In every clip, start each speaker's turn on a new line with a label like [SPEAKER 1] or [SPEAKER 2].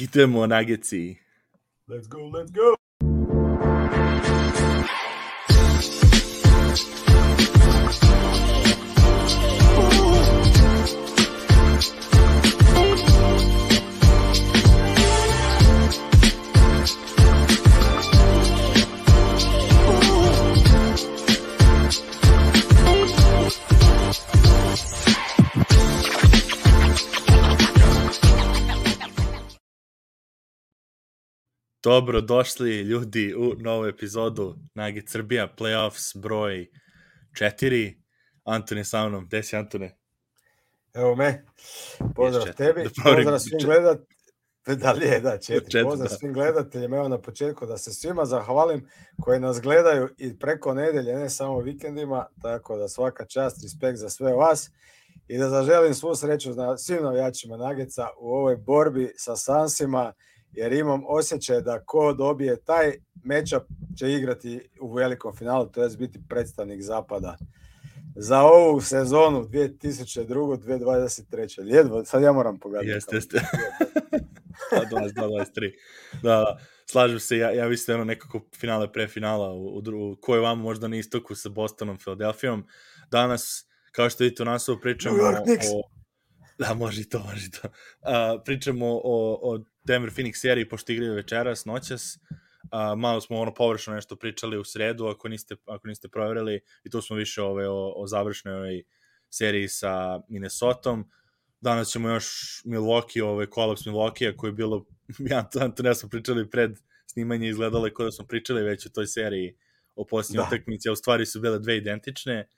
[SPEAKER 1] Idemo Nuggetsi.
[SPEAKER 2] Let's go, let's go.
[SPEAKER 1] Dobro došli ljudi u novu epizodu Nugget Srbija Playoffs broj 4. Antone sa mnom. Gde si, Antone?
[SPEAKER 2] Evo me. Pozdrav tebi.
[SPEAKER 1] Dobro,
[SPEAKER 2] pozdrav svim gledateljima. Da li je, da, 4. Pozdrav
[SPEAKER 1] da.
[SPEAKER 2] svim gledateljima. Evo na početku da se svima zahvalim koji nas gledaju i preko nedelje, ne samo vikendima, tako da svaka čast, respekt za sve vas i da zaželim svu sreću svim navijačima Nuggetsa u ovoj borbi sa Sunsima, jer imam osjećaj da ko dobije taj matchup će igrati u velikom finalu, to je biti predstavnik zapada za ovu sezonu 2022-2023. Ljedvo, sad ja moram pogledati.
[SPEAKER 1] Jeste. 22-23. Da, slažem se, ja mislim nekako finale pre finala u kojoj vama možda na istoku sa Bostonom, Philadelphijom. Danas, kao što vidite u naslovu, pričamo Da, može to. Pričamo o Denver Phoenix seriji, pošto igraju večeras, noćas. Malo smo površno nešto pričali u sredu, ako niste provjerili, i tu smo više o završnoj seriji sa Minnesotom. Danas ćemo još Milwaukee, kolaps Milwaukee, koji je bilo, ne smo pričali pred snimanje, izgledalo je kao da smo pričali već o toj seriji o posljednjoj utakmici, a u stvari su bile dve identične.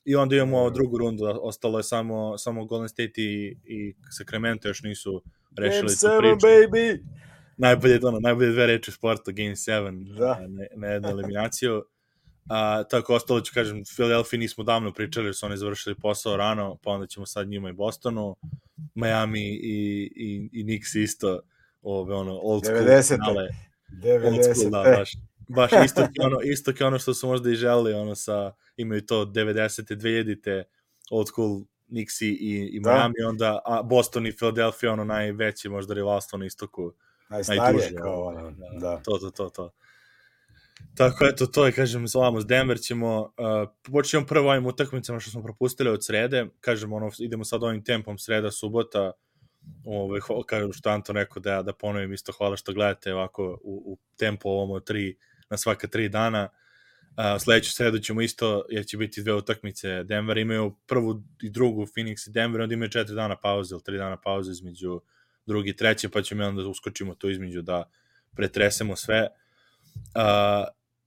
[SPEAKER 1] I onda imamo drugu rundu, ostalo je samo Golden State i Sacramento još nisu rešili tu priču.
[SPEAKER 2] Baby!
[SPEAKER 1] Najbolje dve reči u sportu, Game 7, na jednu eliminaciju. Tako ostalo ću kažem, Philadelphia nismo davno pričali, jer su oni završili posao rano, pa onda ćemo sad njima i Bostonu, Miami i Knicks isto, old school
[SPEAKER 2] 90.
[SPEAKER 1] Baš isto kao ono što su možda i želeli, imaju to 90. 2000. old school Knicks i Miami, onda Boston i Philadelphia, najveće možda rivalstvo na istoku.
[SPEAKER 2] Najstarije kao da.
[SPEAKER 1] To. Tako, eto, to je, kažem, s Denver ćemo, počnemo prvo ovim utakmicama što smo propustili od srede, kažem, idemo sad ovim tempom sreda, subota, kažem što Anton rekao da ponovim isto, hvala što gledate ovako u tempu ovom na svaka 3 dana. Sledeću sredu ćemo isto, jer će biti dve utakmice. Denver imaju prvu i drugu, Phoenix i Denver, onda imaju 4 dana pauze ili 3 dana pauze između drugi i treće, pa ćemo onda uskočimo to između da pretresemo sve.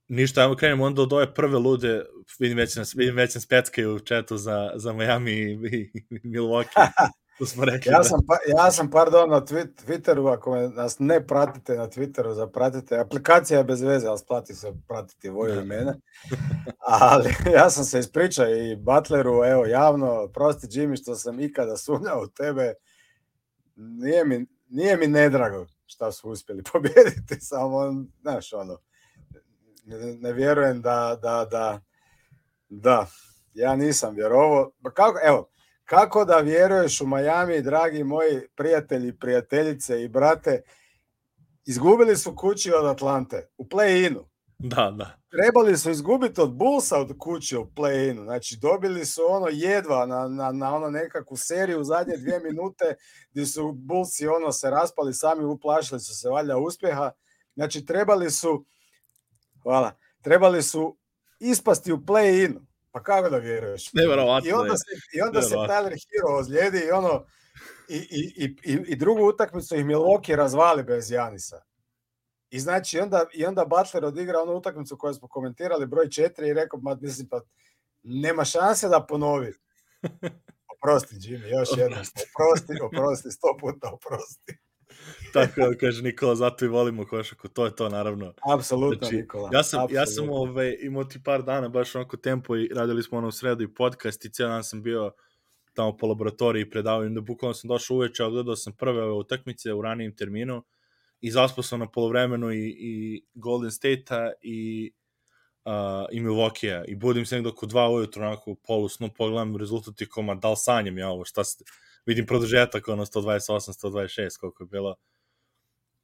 [SPEAKER 1] Ništa, ajmo krenemo onda od ove prve lude, vidim već nas peckaju u chatu za Miami i Milwaukee. To smo rekli.
[SPEAKER 2] Ja sam pardon, na Twitteru, ako nas ne pratite na Twitteru, zapratite. Aplikacija je bez veze, ali splati se pratiti Voju i mene. Ali ja sam se ispričao i Butleru, evo, javno, prosti Jimmy što sam ikada sumnjao u tebe. Nije mi nedrago šta su uspjeli pobijediti, samo, znaš, ne vjerujem da ja nisam vjerovao. Kako da vjeruješ u Miami, dragi moji prijatelji, prijateljice i brate, izgubili su kući od Atlante u play-inu.
[SPEAKER 1] Da.
[SPEAKER 2] Trebali su izgubiti od Bullsa od kuće u play-inu. Znači, dobili su jedva na nekakvu seriju u zadnje 2 minute gdje su Bullsi se raspali sami, uplašili su se valjda uspjeha. Znači, trebali su ispasti u play-inu. Pa kako da vjeruješ? I onda se Tyler Hero ozlijedi i drugu utakmicu ih Milwaukee razvali bez Janisa. I znači onda Butler odigra onu utakmicu koju smo komentirali, broj 4, i rekao, nema šanse da ponovi. Oprosti, Jimmy, još jednom. Oprosti, 100 puta oprosti.
[SPEAKER 1] Tako da kaže Nikola, zato i volimo košarku, to je to, naravno.
[SPEAKER 2] Apsolutno, znači, Nikola.
[SPEAKER 1] Ja sam imao ti par dana baš tempo i radili smo u sredu i podcast i cijel dan sam bio tamo po laboratoriji predavao, da bukvalno sam došao uveče, ali gledao sam prve ove utakmice u ranijem terminu i zaspao sam na polovremenu i Golden State-a i Milwaukee-a i budim se nekdo oko 2 ujutru, onako polu snu, pogledam rezultat i koma, da li sanjam ja ovo, vidim produžetak, 128, 126, koliko je bilo.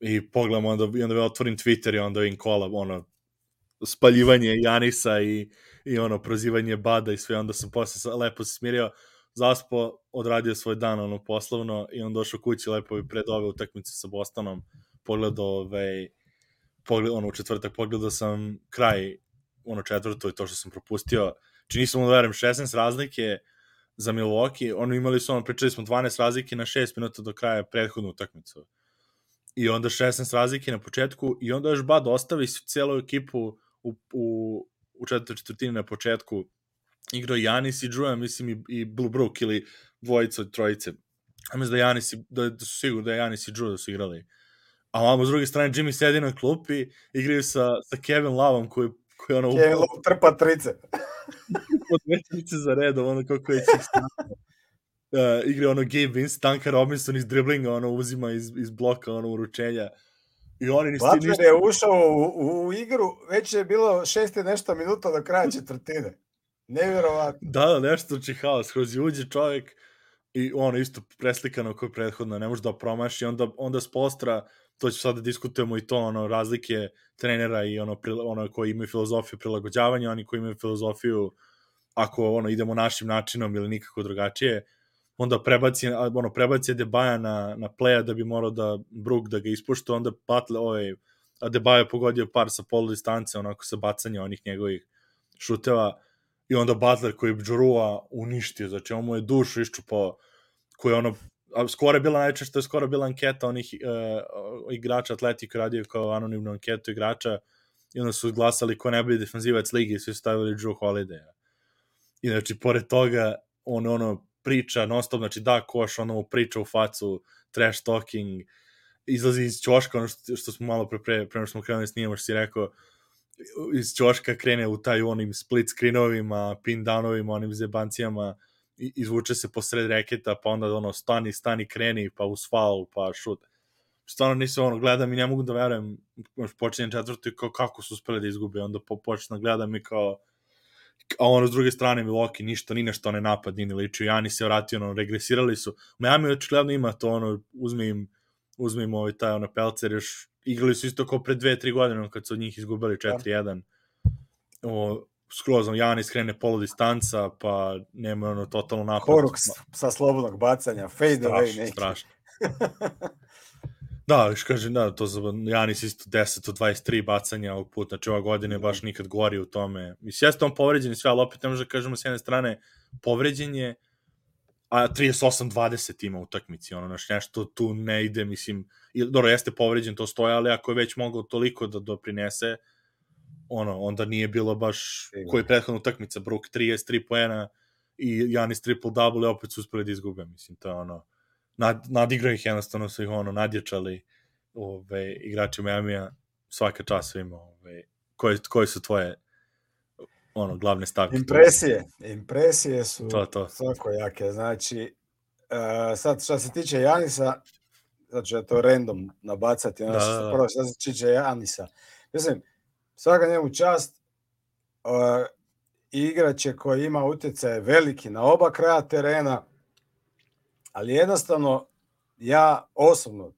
[SPEAKER 1] i pogledam onda otvorim Twitter i onda vidim kola, spaljivanje Janisa i prozivanje Bada i sve, onda sam posle lepo se smirio, zaspo, odradio svoj dan poslovno i on došao kući lepo i pred ove utakmice sa Bostonom pogledao u četvrtak pogledao sam kraj četvrto i to što sam propustio, čini se da verujem 16 razlike za Milwaukee, imali su pričali smo 12 razlike na 6 minuta do kraja prethodnu utakmicu i onda 16 razlike na početku i onda još Bad ostavi celu ekipu u četvrtini na početku igrao Janis i Drew, mislim i Blue Brook ili dvojica od trojice. Ja mislim da su sigurno da je Janis i Drew da su igrali. A ovamo s druge strane Jimmy sedi na klupi, igraju sa Kevin Loveom koji
[SPEAKER 2] Kevin Love trpa trice.
[SPEAKER 1] Od dve trice za redom, kako je igra Gabe Vince, Duncan Robinson iz driblinga, uzima iz bloka, uručenja.
[SPEAKER 2] Butler je ušao u igru, već je bilo 6 nešto minuta do kraja četvrtine. Nevjerovatno.
[SPEAKER 1] Da, nešto čihao, skroz uđe čovjek i isto preslikano kao prethodno, ne može da promaši, onda s postra, to ću sad da diskutujemo i to, razlike trenera i koji imaju filozofiju prilagođavanja, oni koji imaju filozofiju ako idemo našim načinom ili nikako drugačije, onda prebaci Adebayo na playa da bi morao da Brook da ga ispušta, onda Adebayo pogodio par sa polu distance, onako sa bacanja onih njegovih šuteva, i onda Butler koji je Džurua uništio, znači on mu je dušu iščupao, koji je skoro je bila najčešće, skoro je bila anketa onih igrača Atletika radio kao anonimnu anketu igrača i onda su glasali ko najbolji defanzivac ligi i svi su stavili Drew Holiday. I znači, pored toga, on priča non-stop, znači da koš, mu priča u facu, trash talking, izlazi iz ćoška, što smo malo prema što smo krenuli snimamo, što si rekao, iz ćoška krene u taj onim split screenovima, pin downovima, onim zebancijama, izvuče se posred reketa, pa onda stani, kreni, pa uz faul, pa šut. Stvarno nisam gledam i ne mogu da verujem, počinjem četvrtu i kako su uspeli da izgube, onda počnem gledam i kao, a s druge strane Milwaukee ništa, ni nešto ne napad, ni ličio, Janis se vratio, regresirali su. Miami očigledno ima to, uzme im taj pelcer, još igrali su isto kao pre 2-3 godine, kad su od njih izgubili 4-1. Skroz, Janis krene polu distanca, pa nema totalno napad.
[SPEAKER 2] Horux sa slobodnog bacanja, fade away neki.
[SPEAKER 1] Strašno. Da, još kažem, to za Janis isto 10 od 23 bacanja ovog puta, znači ova godina je baš nikad gori u tome. Mislim, jeste on povređen i sve, ali opet ne može da kažemo s jedne strane povređen je, a 38-20 ima utakmici, nešto tu ne ide, mislim, dobro, jeste povređen, to stoje, ali ako je već mogao toliko da doprinese, onda nije bilo baš koji prethodna utakmica, Brook 33 poena i Janis triple-double i opet su uspeli da izgube, mislim, to je nadigrao ih jednostavno su ih nadječali igrači Miami-a, svaka čast svima. Koje su tvoje glavne stavke?
[SPEAKER 2] Impresije su svako jake. Znači, sad što se tiče Janisa, znači ja to random nabacati, prvo što se tiče Janisa. Mislim, svaka njemu čast, igrač koji ima utjecaj veliki na oba kraja terena, ali jednostavno, ja osobno,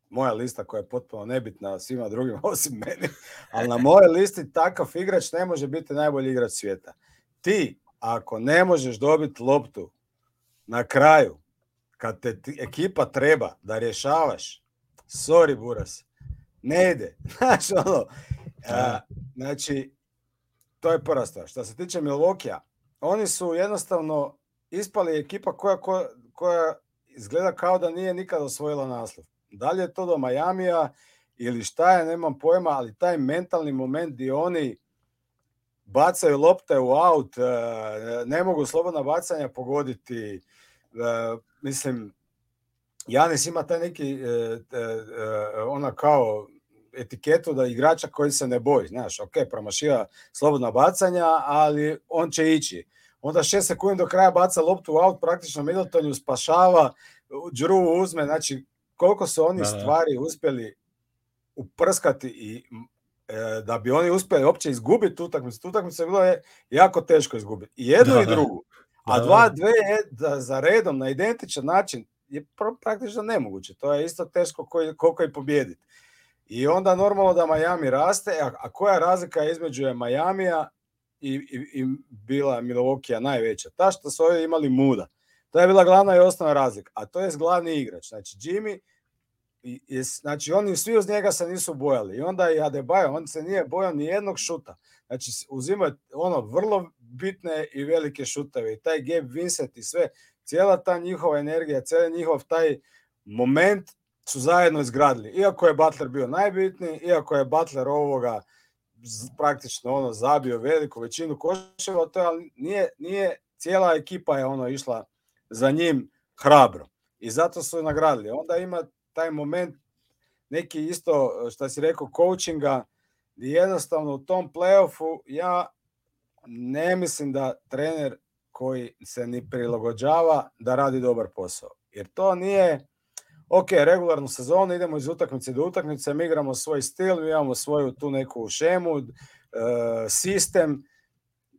[SPEAKER 2] moja lista koja je potpuno nebitna svima drugima osim meni, ali na mojoj listi takav igrač ne može biti najbolji igrač svijeta. Ti, ako ne možeš dobiti loptu na kraju, kad te ekipa treba da rješavaš, sorry Buras, ne ide. Znači, to je prva stvar. Što se tiče Milwaukee-a, oni su jednostavno ispali ekipa koja izgleda kao da nije nikad osvojila naslov. Da li je to do Miamija ili šta je, nemam pojma, ali taj mentalni moment gdje oni bacaju lopte u aut, ne mogu slobodna bacanja pogoditi. Mislim, Janis ima taj neki kao etiketu da igrača koji se ne boji. Znaš, ok, promašiva slobodna bacanja, ali on će ići. Onda 6 sekundi do kraja baca loptu u aut, praktično Middletonu spašava, Drew uzme, znači koliko su oni stvari uspjeli uprskati i da bi oni uspjeli uopće izgubiti utakmicu. Utakmicu je bilo jako teško izgubiti. I jednu i drugu. A dve za redom na identičan način je praktično nemoguće. To je isto teško koliko i pobijediti. I onda normalno da Miami raste, a koja razlika između je Miamija i bila Milwaukee najveća? Ta što su ovdje imali Mooda. To je bila glavna i osnovna razlika, a to je glavni igrač. Znači Jimmy, znači oni svi uz njega se nisu bojali. I onda i Adebayo, on se nije bojao ni jednog šuta. Znači uzimaju vrlo bitne i velike šuteve. I taj Gabe Vincent i sve, cijela ta njihova energija, cijeli njihov taj moment su zajedno izgradili. Iako je Butler bio najbitniji, iako je Butler ovoga praktično zabio veliku većinu koševa, to ali nije cijela ekipa je išla za njim hrabro. I zato su nagradili. Onda ima taj moment neki isto, što si rekao, coachinga, gdje jednostavno u tom playoffu ja ne mislim da trener koji se ni prilagođava da radi dobar posao. Jer to nije, ok, regularnu sezonu, idemo iz utakmice do utakmice, mi igramo svoj stil, mi imamo svoju tu neku šemu, sistem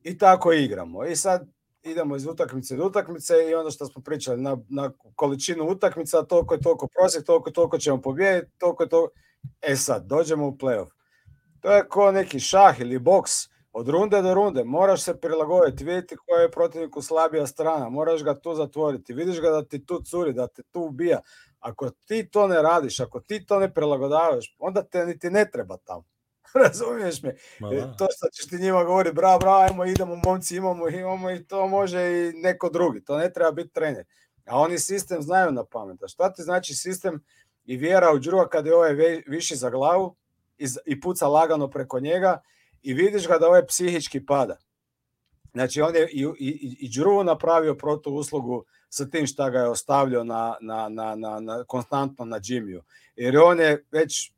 [SPEAKER 2] i tako igramo. I sad idemo iz utakmice do utakmice i onda što smo pričali na količinu utakmica, toliko je toliko prosjek, toliko ćemo pobijediti, toliko je to. Sad, dođemo u playoff. To je kao neki šah ili boks, od runde do runde, moraš se prilagoditi, vidjeti koja je protivniku slabija strana, moraš ga tu zatvoriti, vidiš ga da ti tu curi, da te tu ubija. Ako ti to ne radiš, ako ti to ne prilagodavaš, onda te niti ne treba tamo. Razumiješ me? To što ćeš ti njima govoriti, bravo, ajmo, idemo, momci, imamo i to može i neko drugi. To ne treba biti trener. A oni sistem znaju na pamet. A šta ti znači sistem i vjera u Drewa kad je ovaj viši za glavu i puca lagano preko njega i vidiš ga da ovaj psihički pada. Znači on je i Drew napravio protuuslugu sa tim šta ga je ostavljao konstantno na Jimmyu. Jer on je već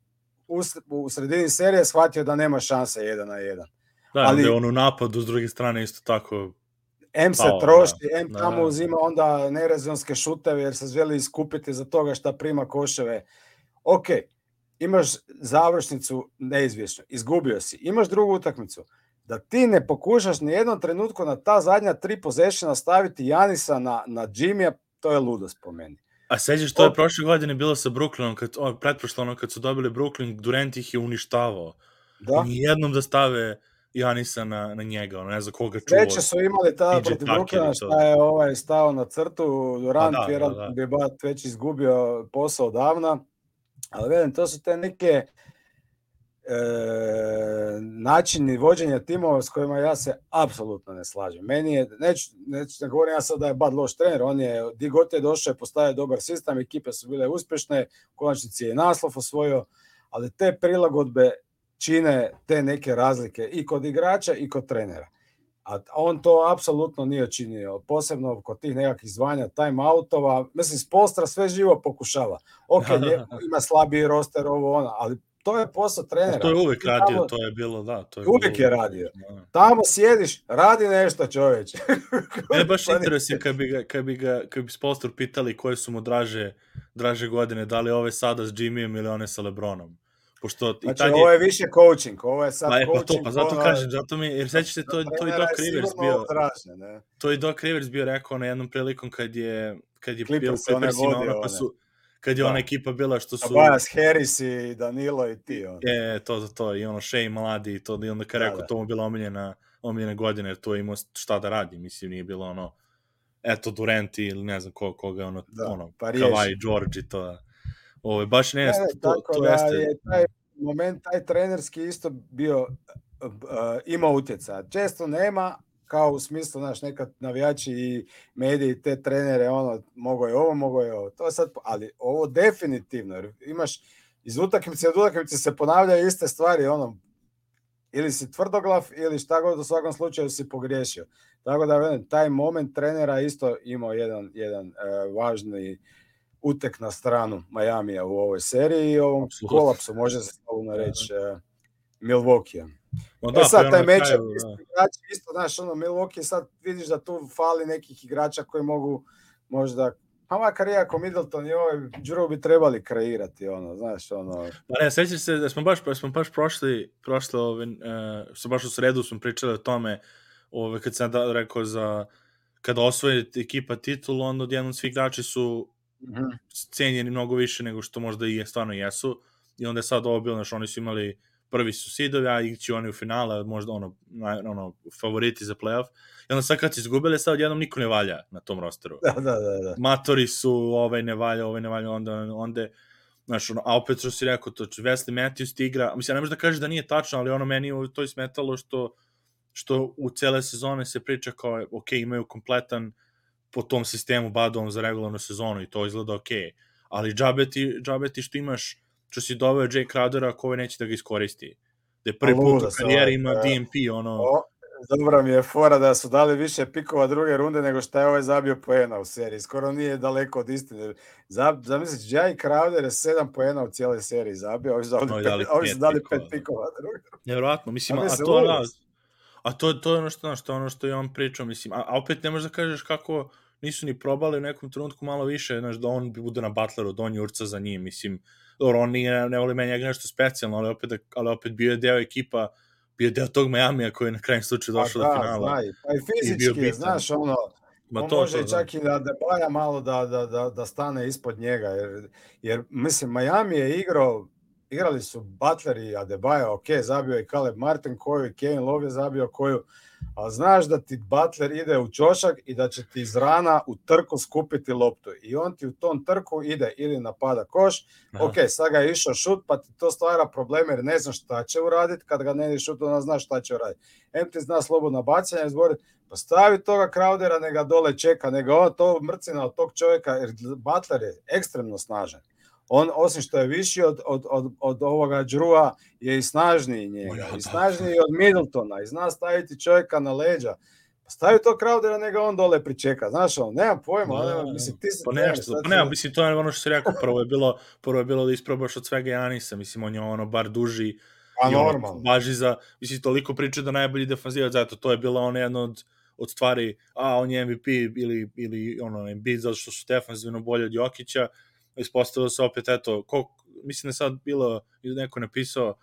[SPEAKER 2] u sredini serije shvatio da nema šanse 1-1.
[SPEAKER 1] Da, ali je on u napadu s druge strane isto tako
[SPEAKER 2] M se troši, tamo uzima onda nerezonske šuteve jer se želi iskupiti za toga šta prima koševe. Ok, imaš završnicu neizvjesno, izgubio si, imaš drugu utakmicu, da ti ne pokušaš ni jednom trenutku na ta zadnja 3 possessiona staviti Janisa na Jimmya, to je ludost po meni.
[SPEAKER 1] A sećaš što je prošle godine bilo sa Brooklynom, pretprošlo kad su dobili Brooklyn, Durant ih je uništavao. Da. Nijednom da stave Janisa na njega, ne znam koga čuo.
[SPEAKER 2] Treće su imali tada protiv Brooklyna šta je stao na crtu, Durant vjerojatno bi već izgubio posao davna, ali velim, to su te neke načini vođenja timova s kojima ja se apsolutno ne slažem. Meni je, ne govorim ja sad da je Bud loš trener, on je, di god je došao je postavio dobar sistem, ekipe su bile uspješne, u konačnici je naslov osvojio, ali te prilagodbe čine te neke razlike i kod igrača i kod trenera. A on to apsolutno nije činio, posebno kod tih nekakvih zvanja time-outova. Mislim, Spoelstra sve živo pokušava. Ok, ima slabiji roster, ali to je posao trenera.
[SPEAKER 1] To je uvijek radio, to je bilo, da. To je
[SPEAKER 2] uvijek je radio. Tamo sjediš, radi nešto, čovječe.
[SPEAKER 1] Mene baš interesuje kad bi Spoelstra pitali koje su mu draže godine, da li ove sada s Jimmyjem ili one sa LeBronom.
[SPEAKER 2] Znači, ovo je više coaching, ovo je sad coaching.
[SPEAKER 1] Pa zato kažem, jer sećaš se, to i Doc Rivers bio. To i Doc Rivers bio rekao na jednom prilikom kad je bio u Clippersima, kad je ona ekipa bila što su...
[SPEAKER 2] Tobias Harris i Danilo i ti.
[SPEAKER 1] To, i Shea Mladi i to, i onda kad rekao, to mu bila omiljena godina, jer to je imao šta da radi, mislim, nije bilo Durant ili ne znam koga, Kawhi, George i to. Baš to jeste.
[SPEAKER 2] Je taj moment, taj trenerski isto bio, ima utjecaja. Često nema, kao u smislu, nekad navijači i mediji, te trenere, mogo je ovo. To je sad, ali ovo definitivno, jer imaš iz utakmice od utakmice se ponavljaju iste stvari, ili si tvrdoglav, ili šta god, u svakom slučaju si pogriješio. Tako da, taj moment trenera isto imao jedan važni utek na stranu Miamija u ovoj seriji i ovom kolapsu, može se slobodno reći, Milwaukee. Sad taj mečak, isto, Milwaukee, sad vidiš da tu fali nekih igrača koji mogu možda, pa makar iako Middleton i ovaj Drew bi trebali kreirati,
[SPEAKER 1] Pa ne, sjećaš se da smo baš prošli, baš u sredu smo pričali o tome, kad sam rekao kada osvoji ekipa titul, onda odjednom svi igrači su cijenjeni mnogo više nego što možda i stvarno jesu. i onda je sad ovo bilo, oni su imali prvi su sidovi, a ići oni u finale, možda favoriti za playoff. I onda sad kad su izgubili, sad jednom niko ne valja na tom rosteru.
[SPEAKER 2] Da.
[SPEAKER 1] Matori su, ne valja, onda znaš, a opet što si rekao, to Wesley Matthews ti igra, mislim, ne možeš da kažeš da nije tačno, ali meni to je smetalo što u cele sezone se priča kao, ok, imaju kompletan po tom sistemu badovom za regularnu sezonu i to izgleda ok, ali džabeti što imaš, što si doveo Jay Crowdera, ko neće da ga iskoristi. Da je prvi put u karijeri ima DNP,
[SPEAKER 2] Dobra mi je fora da su dali više pikova druge runde nego šta je zabio poena u seriji. Skoro nije daleko od istine. Zamisliš, Jay Crowder je 7 poena u cijeloj seriji zabio, ovi su dali 5 pikova druge runde.
[SPEAKER 1] Nevjerojatno, mislim, a to je ono što je on pričao, mislim, a opet ne možeš da kažeš kako nisu ni probali u nekom trenutku malo više, znaš, da on bude na Butleru, da on jurca za njim, mislim, dobro, on ne voli meni njega nešto specijalno, ali opet bio je deo ekipa, bio je deo tog Majamija koji je na krajem slučaju došao do finala.
[SPEAKER 2] Pa i fizički, znaš, on može čak i da Adebayo malo da stane ispod njega, jer mislim, Miami je igrali su Butler i Adebayo, ok, zabio i Caleb Martin koju i Kevin Love je zabio koju, ali znaš da ti Butler ide u ćošak i da će ti iz rana u trku skupiti loptu i on ti u tom trku ide ili napada koš, ok, sad ga je išao šut, pa ti to stvara probleme jer ne znaš šta će uraditi, kad ga ne ide šut, onda znaš šta će uraditi. Ti zna slobodno bacanje, izboriti, pa stavi toga Crowdera, ne ga dole čeka, nego on to mrcina od tog čovjeka, jer Butler je ekstremno snažan. On, osim što je viši od ovoga Drewa, je i snažniji njega, i snažniji od Middletona, i zna staviti čovjeka na leđa. Stavi to Crowdera, nego on dole pričeka. Znaš, nemam pojma, mislim, ti si...
[SPEAKER 1] Mislim, to je ono što si rekao, prvo je bilo da isprobaš od svega Janisa, mislim, on je bar duži, važi za, mislim, toliko priče da najbolji defanzivac, zato to je bila jedna od stvari, on je MVP ili Embiid, zato što su defanzivno bolje od Jokića, ispostavilo se opet, mislim da sad bilo, neko napisao,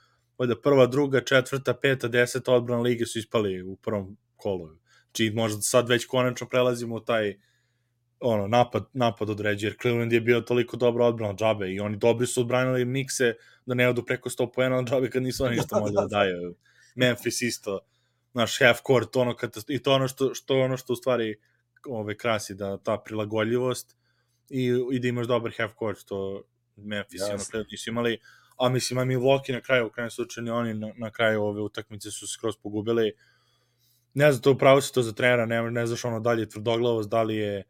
[SPEAKER 1] prva, druga, četvrta, peta, 10 odbrana lige su ispali u prvom kolu. Znači, možda sad već konačno prelazimo u taj napad određe, jer Cleveland je bio toliko dobra odbrana džabe i oni dobri su odbranili Knickse da ne odu preko 100 poena od džabe kad nisu oni ništa mogli da daju. Memphis isto, naš half court, i to ono što u stvari krasi, da ta prilagodljivost i da imaš dobar half court, što Memphis nisu imali, a mislim, Milwaukee na kraju, u krajem slučaju, oni na kraju ove utakmice su skroz pogubili. Ne znam, to upravo se to za trenera, ne znaš dalje tvrdoglavost, da li je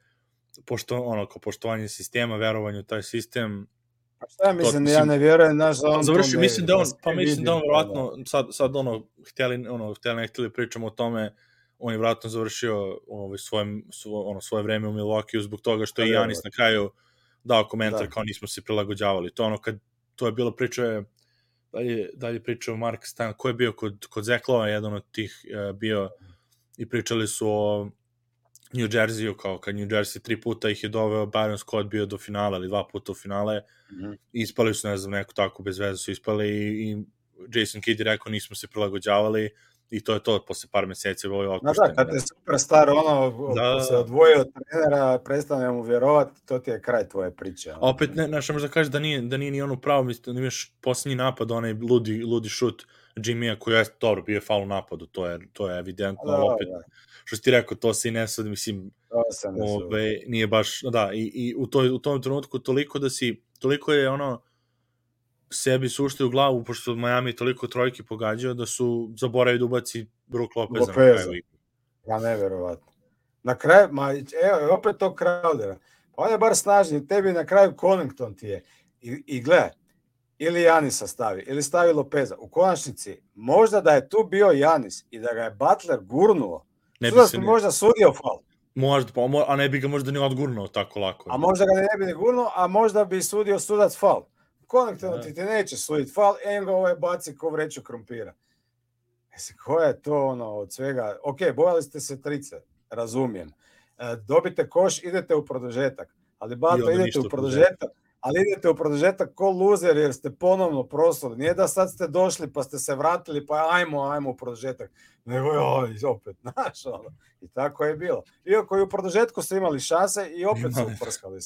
[SPEAKER 1] poštovanje sistema, verovanje u taj sistem.
[SPEAKER 2] Pa šta mislim, ja ne vjerujem, znaš, da on
[SPEAKER 1] završi, mislim da on vjerojatno, sad htjeli pričamo o tome, on je vratno završio svoje vreme u Milwaukee zbog toga što je Janis na kraju dao komentar kao nismo se prilagođavali. To je bilo priča, dalje pričao Mark Stan, ko je bio kod Zeklova, jedan od tih bio, i pričali su o New Jerseyu, kao kad New Jersey 3 puta ih je doveo, Byron Scott bio do finala, ili 2 puta u finale, ispali su, ne znam, neko tako bez veze su ispali i Jason Kidd je rekao nismo se prilagođavali, i to je to, posle par meseci je ovo otpušten.
[SPEAKER 2] Da, kad je superstar, se odvojio od trenera, prestane mu vjerovati, to ti je kraj tvoje priče.
[SPEAKER 1] Opet, možda kažeš da nije ni ono pravo, mislim, da imaš posljednji napad, onaj ludi šut Jimmya, koji je dobro, bio je faul u napadu, to je evidentno, ali opet, što si ti rekao, to se i ne sad, mislim, nije baš, i u tom trenutku toliko je sebi suštaju u glavu, pošto Miami toliko trojki pogađao, da su zaboravili da ubaci Brook Lopeza na kraju.
[SPEAKER 2] Ja, neverovatno. Na kraju, evo, opet to Crowdera. Pa on je bar snažniji, tebi na kraju Connaughton ti je. I gledaj, ili Janisa stavi, ili stavi Lopeza. U konačnici, možda da je tu bio Janis i da ga je Butler gurnuo, sudac bi možda sudio faul.
[SPEAKER 1] Možda, a ne bi ga možda ni odgurnuo tako lako.
[SPEAKER 2] A možda ga ne bi ni gurnuo, a možda bi sudio sudac faul. Konektivno ti neće suditi faul, ga baci ko vreću krompira. Koja je to od svega? Ok, bojali ste se trice, razumijem. Dobite koš, idete u produžetak. Ali idete u produžetak ko luzer jer ste ponovno prosuli. Nije da sad ste došli pa ste se vratili pa ajmo u produžetak. Nego opet, znaš I tako je bilo. Iako i u produžetku ste imali šanse i opet su uprskali.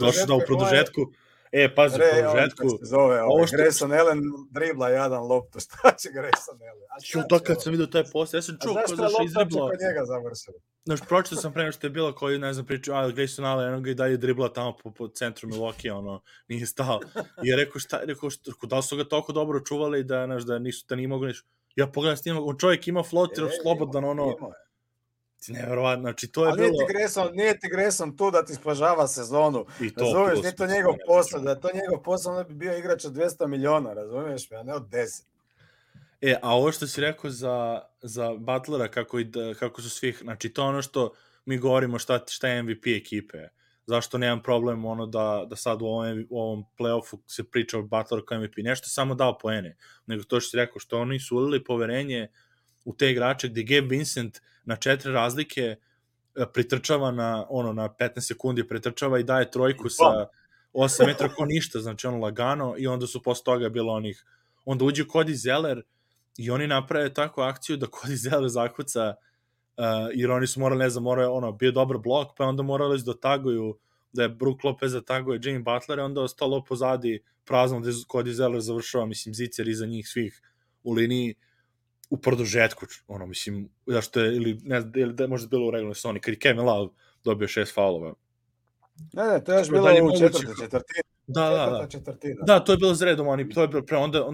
[SPEAKER 1] Došli da u produžetku Pazi, po žetku.
[SPEAKER 2] Se zove, Grayson Allen dribla jedan loptu, šta će Grayson Allen?
[SPEAKER 1] To kad sam vidio taj post, ja sam čuo
[SPEAKER 2] ko zašto je lopta kod njega završila?
[SPEAKER 1] Znaš, pročito sam pre nego što je bilo koji, ne znam, pričao, Grayson Allen, jednog i dalje dribla tamo po centru Milwaukee, nije stao. I je rekao, da li su ga toliko dobro čuvali da nije mogu nešto. Ja pogledam s njima, on čovjek ima floater, slobodan, nevjerovatno, znači to je bilo...
[SPEAKER 2] Nije ti Grayson tu da ti spažava sezonu, razumiješ, nije to njegov posao, da je to njegov posao, onda bi bio igrač od 200 miliona, razumiješ me, a ne od 10.
[SPEAKER 1] A ovo što si rekao za Butlera, kako su svih, znači to ono što mi govorimo šta je MVP ekipe, zašto nemam problem da sad u ovom play-offu se priča o Butleru kao MVP, nešto samo dao poene, nego to što si rekao, što oni su ulili poverenje u te igrače gde Gabe Vincent na 4 razlike pritrčava na 15 sekundi, pritrčava i daje trojku sa 8 metra ko ništa, znači lagano, i onda su posle toga bilo onda uđe Cody Zeller i oni naprave takvu akciju da Cody Zeller zakuca, jer oni su morali, bio dobar blok, pa onda morali da taguju, da je Brook Lopez taguje Jimmy Butler, onda ostalo pozadi prazno gde Cody Zeller završava, mislim, zicer iza njih svih u liniji, u produžetku, mislim, zašto je, ili da možda bilo u regularnoj sezoni, kad je Kevin Love dobio 6 faulova.
[SPEAKER 2] Ne, to je još bilo u četvrtini.
[SPEAKER 1] Da, to je bilo s redom, to je bilo pre, onda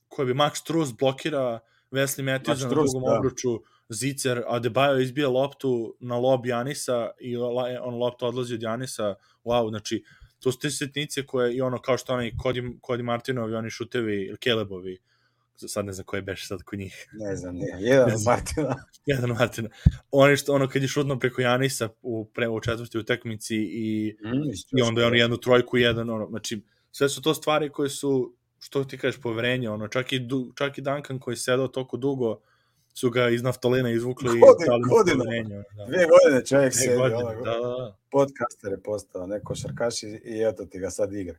[SPEAKER 1] koji bi Max Strus blokira Wesley Matthews na drugom obruču, zicer, Adebayo izbija loptu na lob Janisa i lopta odlazi od Janisa, wow, znači, to su te setnice koje, i kao što Cody Martinovi, oni šutevi, ili Calebovi, sad ne znam ko je beš sad kod njih.
[SPEAKER 2] Ne znam, jedan
[SPEAKER 1] Martina. Oni kad je šutno preko Janisa u četvrti utakmici i onda je on jednu trojku i znači, sve su to stvari koje su, što ti kažeš, poverenje, čak i Duncan koji je sedao toliko dugo, su ga iz naftolina izvukli i dali mu poverenje.
[SPEAKER 2] 2 godine čovjek sedi, podcaster je postao, neko šarkaš i eto ti ga sad igra.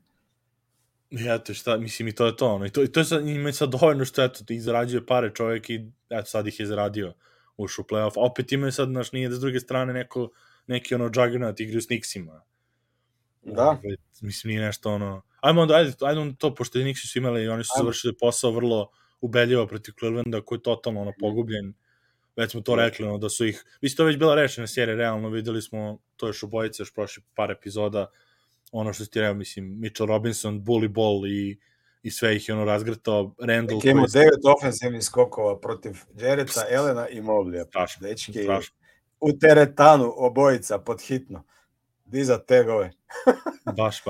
[SPEAKER 1] Eto šta, mislim, i to je to, i to je sad, ima sad dovoljno što, eto, ti zarađuje pare čovjek i, eto, sad ih je zaradio, ušao u playoff, a opet imaju sad, nije da s druge strane neki juggernaut igri u Knicksima.
[SPEAKER 2] Da.
[SPEAKER 1] Mislim, nije nešto, ajde onda to, pošto Knicksi su imali i oni su završili posao vrlo ubedljivo protiv Clevelanda, koji je totalno, pogubljen, već smo to rekli, da su ih, mislim, to već bila rečena serija, realno, videli smo, to još obojice, još prošli par epizoda, ono što ti rekao, mislim, Mitchell Robinson, Bully Ball i sve ih je razgrtao, Randall...
[SPEAKER 2] Imamo 9 ofensivnih skokova protiv Jarretta, Elena i Moblija. Dečki, u teretanu obojica, podhitno. Diza tegove.
[SPEAKER 1] Baš.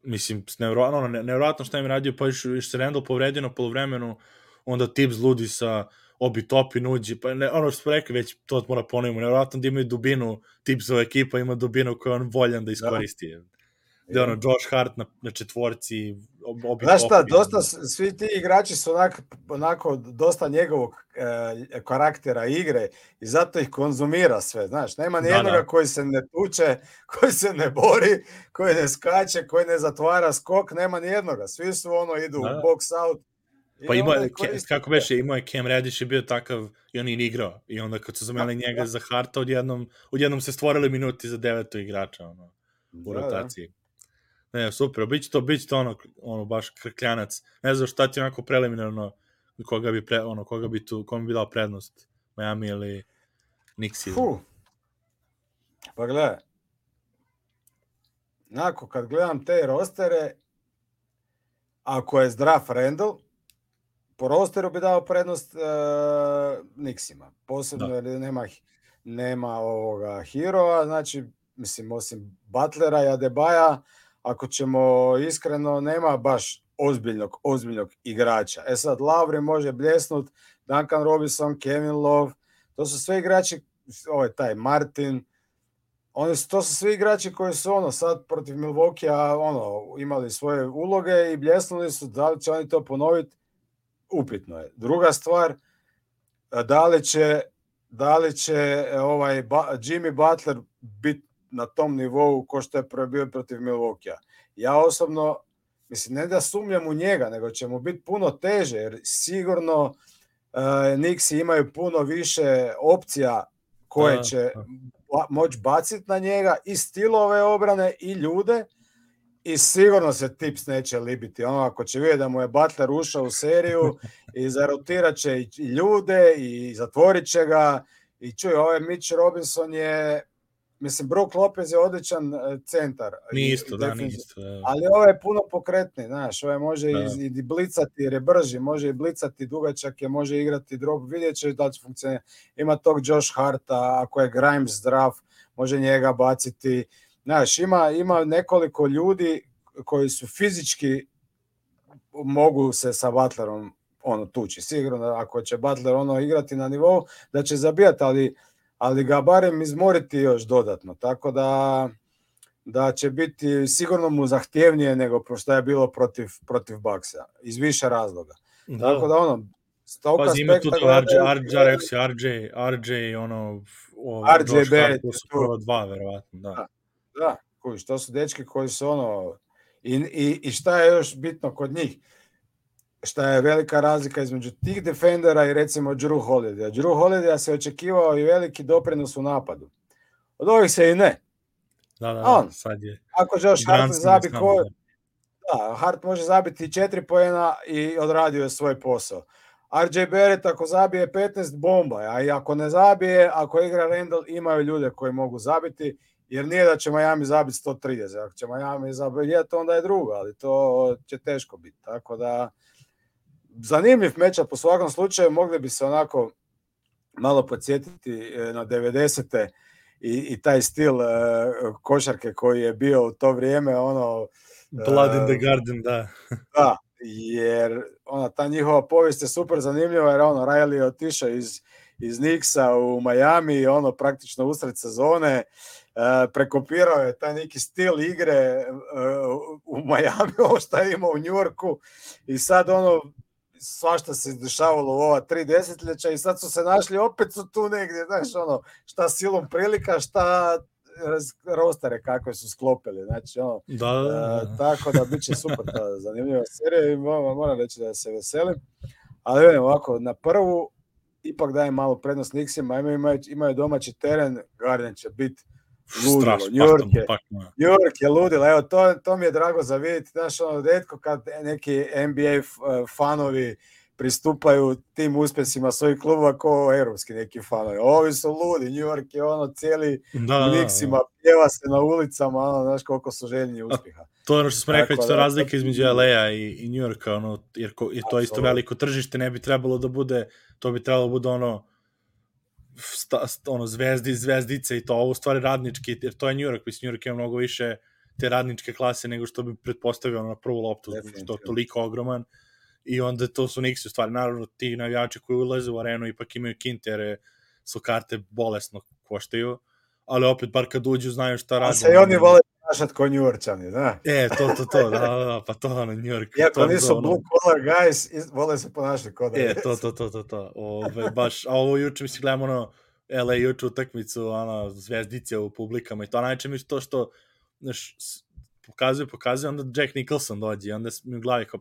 [SPEAKER 1] Mislim, nevjerojatno šta im radio, pa još se Randall povredio na polovremenu, onda Tibbs ludi sa Obi Topin uđe, pa što smo rekli već, to mora ponovimo, nevjerojatno da imaju dubinu, Tibbsova ekipa ima dubinu koju on voljan da iskoristi. Gde Josh Hart na četvorci, Obi Topin.
[SPEAKER 2] Znaš šta, dosta, svi ti igrači su onako dosta njegovog karaktera igre i zato ih konzumira sve, znaš, nema nijednoga koji se ne tuče, koji se ne bori, koji ne skače, koji ne zatvara skok, nema nijednoga, svi su idu u box out.
[SPEAKER 1] Pa kako beše, imao je Cam Reddish je bio takav i on je igrao i onda kad su zamenili njega za Harta, odjednom se stvorili minuti za 9. igrača u rotaciji. Ne, super, biće to baš krkljanac. Ne znam šta ti onako preliminarno kome bi dao prednost, Miami ili Knicks.
[SPEAKER 2] Pa gledaj, kad gledam te rostere, ako je zdrav Randall, po rosteru bi dao prednost Knicksima. Posebno jer nema Herova, znači, mislim, osim Butlera i Adebaja, ako ćemo iskreno, nema baš ozbiljnog igrača. Sad, Lavri može bljesnut, Duncan Robinson, Kevin Love, to su sve igrači, taj Martin, to su svi igrači koji su sad protiv Milwaukee imali svoje uloge i bljesnuli su, da li će oni to ponoviti, upitno je. Druga stvar, da li će Jimmy Butler biti na tom nivou ko što je bio protiv Milwaukee. Ja osobno, mislim, ne da sumnjam u njega, nego će mu biti puno teže, jer sigurno Knicksi imaju puno više opcija koje će moći baciti na njega, i stilove obrane i ljude, I sigurno se Tips neće libiti. Ono, ako će vidjeti da mu je Butler ušao u seriju i zarotirat će i ljude i zatvorit će ga. I čuj, ovaj Mitch Robinson je, mislim, Brook Lopez je odličan centar.
[SPEAKER 1] Nije isto.
[SPEAKER 2] Ali ovaj je puno pokretni, znaš, ovaj može i blicati jer je brži, može i blicati dugačak je, može igrati drop, vidjet će da će funkcionirati. Ima tog Josh Harta, ako je Grimes zdrav, može njega baciti. Znaš, ima nekoliko ljudi koji su fizički mogu se sa Butlerom tući. Sigurno ako će Butler igrati na nivou da će zabijati, ali ga barem izmoriti još dodatno. Tako da će biti sigurno mu zahtjevnije nego što je bilo protiv Bucksa. Iz više razloga.
[SPEAKER 1] Da.
[SPEAKER 2] Tako da
[SPEAKER 1] Pazi, ima tu to RJ Barrett su prvo dva, verovatno.
[SPEAKER 2] Da, kužiš, to su dečki koji su i šta je još bitno kod njih? Šta je velika razlika između tih defendera i recimo Jrue Holidaya. Jrue Holidaya se očekivao i veliki doprinos u napadu. Od ovih se i ne.
[SPEAKER 1] Da, sad je.
[SPEAKER 2] Ako Josh Hart zabi Hart može zabiti 4 poena i odradio je svoj posao. RJ Barrett ako zabije 15 bomba, a i ako ne zabije, ako igra Randall, imaju ljude koji mogu zabiti, jer nije da će Miami zabiti 130. Ako će Miami zabiti, onda je drugo, ali to će teško biti. Tako da, zanimljiv meča po svakom slučaju, mogli bi se onako malo podsjetiti na 90. i taj stil košarke koji je bio u to vrijeme,
[SPEAKER 1] Blood in the Garden, da.
[SPEAKER 2] Da, jer ta njihova povijest je super zanimljiva, jer Riley je otišao iz Knicksa u Miami, praktično usred sezone, prekopirao je taj neki stil igre u Miami, ovo što je imao u New Yorku, i sad svašta se dešavalo u ova 3 desetljeća i sad su se našli, opet su tu negdje, znaš, šta silom prilika, šta rostere kakve su sklopili, znači tako da bit će super ta zanimljiva serija i moram reći da se veselim, ali vidim ovako, na prvu ipak dajem malo prednost Knicksima, imaju domaći teren, Garden će biti ludilo, New York je ludilo, evo to mi je drago za vidjeti, znaš, retko kad neki NBA fanovi pristupaju tim uspjesima svojih klubova kao europski neki fanovi. Ovi su ludi, New York je cijeli u Knicksima, pjeva se na ulicama, znaš koliko su željni uspjeha.
[SPEAKER 1] To je ono što smo rekli, to je razlika između LA-a i New Yorka, jer je to isto veliko tržište, ne bi trebalo da bude, to bi trebalo da bude zvezdice i to, ovo stvari radnički, jer to je New York, mislim, New York ima mnogo više te radničke klase nego što bi pretpostavio na prvu loptu, što je toliko ogroman. I onda to su Knicksi u stvari. Naravno, ti navijači koji ulaze u arenu ipak imaju kinte, jer su karte bolesno koštaju, ali opet, bar kad uđu, znaju šta rade.
[SPEAKER 2] A se i oni vole ponašati ko New Yorkčani, da?
[SPEAKER 1] To, da, pa to New York.
[SPEAKER 2] Iako nisu blue collar guys, vole se ponašati ko da je.
[SPEAKER 1] To. Baš, a ovo juče, mislim, gledamo LA juče utakmicu, zvezdice u publikama i to, najče mi to što, znaš, pokazuje, onda Jack Nicholson dođe i onda mi u glavi kao,